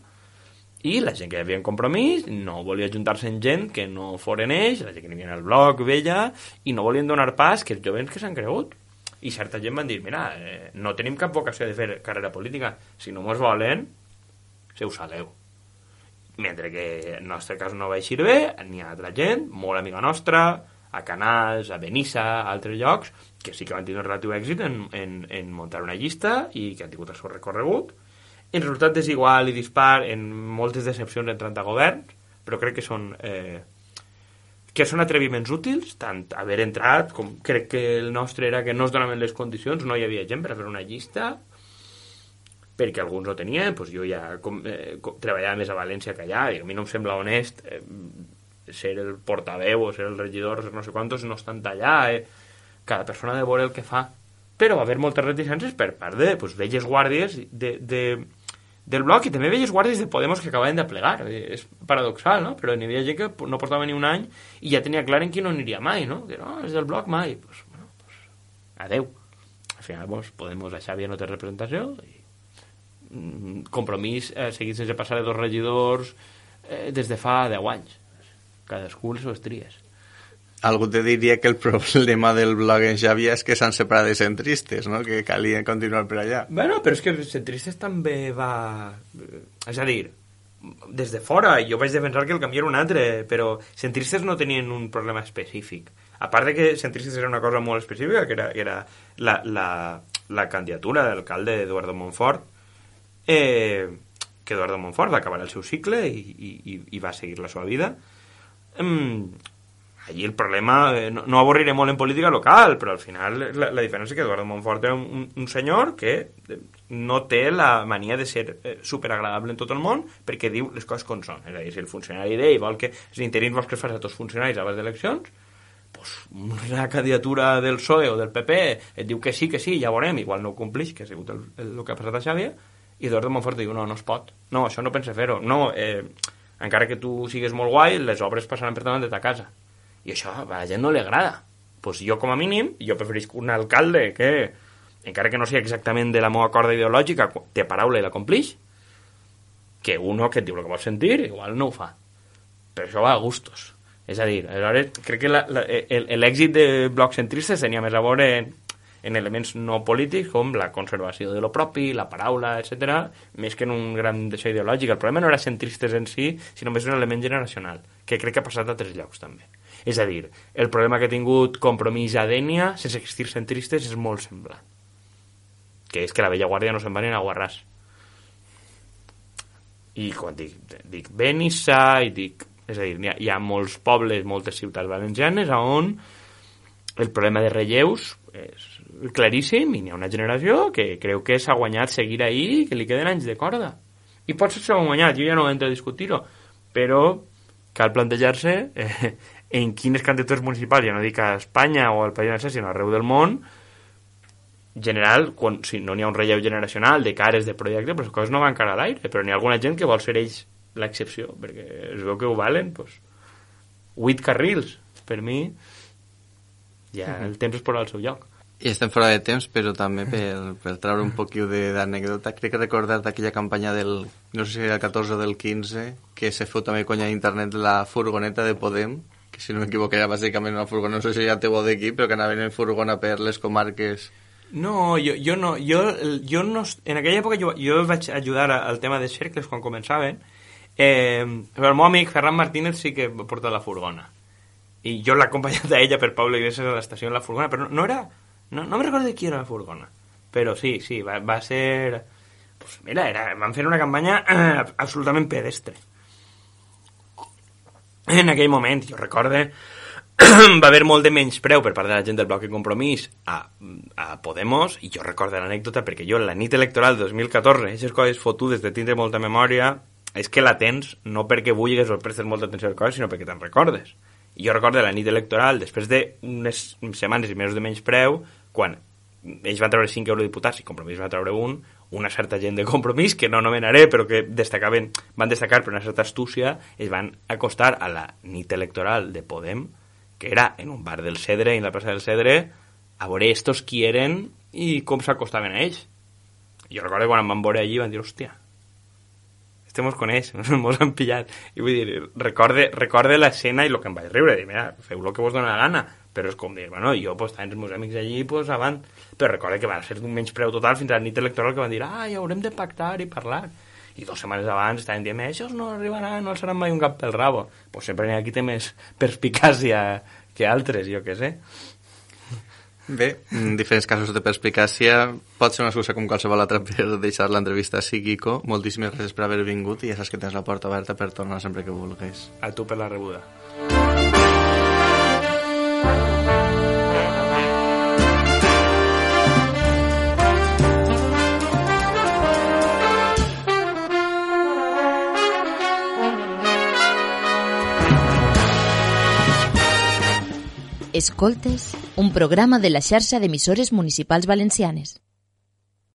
i la gent que hi havia en Compromís no volia ajuntar-se amb gent que no foren ells, la gent que n'hi havia al bloc vella, i no volien donar pas que els jovents que s'han cregut. I certa gent van dir, mira, no tenim cap vocació de fer carrera política, si no mos volen se us saleu. Mentre que en el nostre cas no va eixir bé, n'hi ha altra gent, molt amiga nostra, a Canals, a Benissa, a altres llocs, que sí que van tenir un relatiu èxit en muntar una llista i que han tingut el seu recorregut, en resultat desigual i dispar, en moltes decepcions entrant a governs, però crec que són atreviments útils, tant haver entrat com crec que el nostre era que no es donaven les condicions, no hi havia gent per a fer una llista, perquè alguns no tenien, doncs jo ja treballava més a València que allà, i a mi no em sembla honest ser el portaveu o ser el regidor, no sé quantos, no estan allà, cada persona ha de veure el que fa. Però va haver moltes reticències per part de velles guàrdies del bloc i també velles guàrdies de Podemos que acabaven de plegar. És paradoxal, no? Però n'hi havia gent que no portava ni un any i ja tenia clar en qui no aniria mai, no? Que no, és del bloc mai. Adeu. Al final, Podemos, a Xàbia no té representació i Compromís seguit sense passar de 2 regidors des de fa 10 anys. Cadascú les seves tries. Algú te diria que el problema del blog en Xàbia és que s'han separat de centristes, no? Que calien continuar per allà. Bueno, però és que els centristes també va... És a dir, des de fora, jo vaig defensar que el camí era un altre, però centristes no tenien un problema específic. A part de que centristes era una cosa molt específica, que era la candidatura de l'alcalde Eduardo Monfort, que Eduardo Monfort va acabar el seu cicle i va seguir la seva vida. Allí el problema, no avorriré molt en política local, però al final la diferència és que Eduardo Monfort era un senyor que no té la mania de ser superagradable en tot el món perquè diu les coses com són. És a dir, si el funcionari d'ell vol que els interins vols que es faci a tots els funcionaris abans d'eleccions, doncs una candidatura del PSOE o del PP et diu que sí, ja veurem, igual no ho complix, que ha sigut el que ha passat a Xàbia, i Eduardo Monfort diu, no es pot. No, això no pensa fer-ho. No, encara que tu sigues molt guai, les obres passaran per davant de ta casa. I això a la gent no li agrada. Pues jo, com a mínim, jo preferisc un alcalde que, encara que no sigui exactament de la meva corda ideològica, té paraula i la complix, que uno que et diu el que vols sentir, igual no ho fa. Però això va a gustos. És a dir, aleshores, crec que l'èxit de blocs centristes tenia més a veure en elements no polítics com la conservació de lo propi, la paraula, etc., més que en un gran deixó ideològic. El problema no era centristes en si, sinó més un element generacional, que crec que ha passat a altres llocs també. És a dir, el problema que ha tingut Compromís a Dénia, sense existir centristes, és molt semblant. Que és que la vella guàrdia no se'n va ni a Guarràs. I quan dic Benissa, i dic... És a dir, hi ha molts pobles, moltes ciutats valencianes on el problema de relleus és claríssim i n'hi ha una generació que creu que s'ha guanyat seguir ahí i que li queden anys de corda. I potser s'ha guanyat, jo ja no entro a discutir-ho, però cal plantejar-se en quines candidatures municipals, ja no dic a Espanya o al País Valencià, sinó arreu del món, general, si no n'hi ha un relleu generacional de cares de projecte, però les coses no van cara a l'aire, però n'hi ha alguna gent que vol ser ells l'excepció, perquè es veu que ho valen, doncs 8 carrils, per mi ja el temps es posa al seu lloc. I estem fora de temps, però també per treure un poquiu d'anècdota, crec que recordar d'aquella campanya del, no sé si era el 14 o del 15, que se feu també conya a internet la furgoneta de Podem, que si no m'equivoco era bàsicament una furgoneta, no sé si ja té bo d'aquí, però que anaven en furgona per les comarques. No, jo no, en aquella època jo vaig ajudar al tema de cercles quan començaven. Però el meu amic Ferran Martínez sí que porta la furgona i jo l'he acompanyat a ella per Pablo Iglesias a l'estació en la furgona, però no era no me recordo de qui era la furgona, però sí, va ser pues mira, van fer una campanya absolutament pedestre en aquell moment. Jo recorde va haver molt de menyspreu per part de la gent del bloc de Compromís a Podemos, i jo recordo l'anècdota perquè jo la nit electoral de 2014, aquestes coses fotudes de tindre molta memòria, és que la tens no perquè vulguis o prestes molta atenció a les coses, sinó perquè te'n recordes. I jo recordo la nit electoral, després d'unes setmanes i mesos de menyspreu, quan ells van treure 5 eurodiputats i Compromís va treure una certa gent de Compromís, que no anomenaré, però que van destacar per una certa astúcia, es van acostar a la nit electoral de Podem, que era en un bar del Cedre, en la plaça del Cedre, a veure estos qui eren i com s'acostaven a ells. I jo recordo quan em van veure allí van dir, hòstia, este mos coneix, mos han pillat. I vull dir, recorde l'escena i el que em vaig riure, dir, mira, feu el que vos dona la gana, però és com dir, bueno, jo pues tants els meus amics allí, pues avant, però recorde que va ser un menyspreu total fins a la nit electoral que van dir, ja haurem de pactar i parlar. I 2 setmanes abans estaven dient, això no arribaran, no alçaran mai un cap pel rabo. Pues sempre n'hi ha qui té més perspicàcia que altres, jo què sé. Bé, en diferents casos de perspicàcia pot ser una excusa com qualsevol altra per deixar l'entrevista així, Quico. Moltíssimes gràcies per haver vingut i ja saps que tens la porta oberta per tornar sempre que vulguis. A tu per la rebuda. Escoltes, un programa de la xarxa d'emissores municipals valencianes.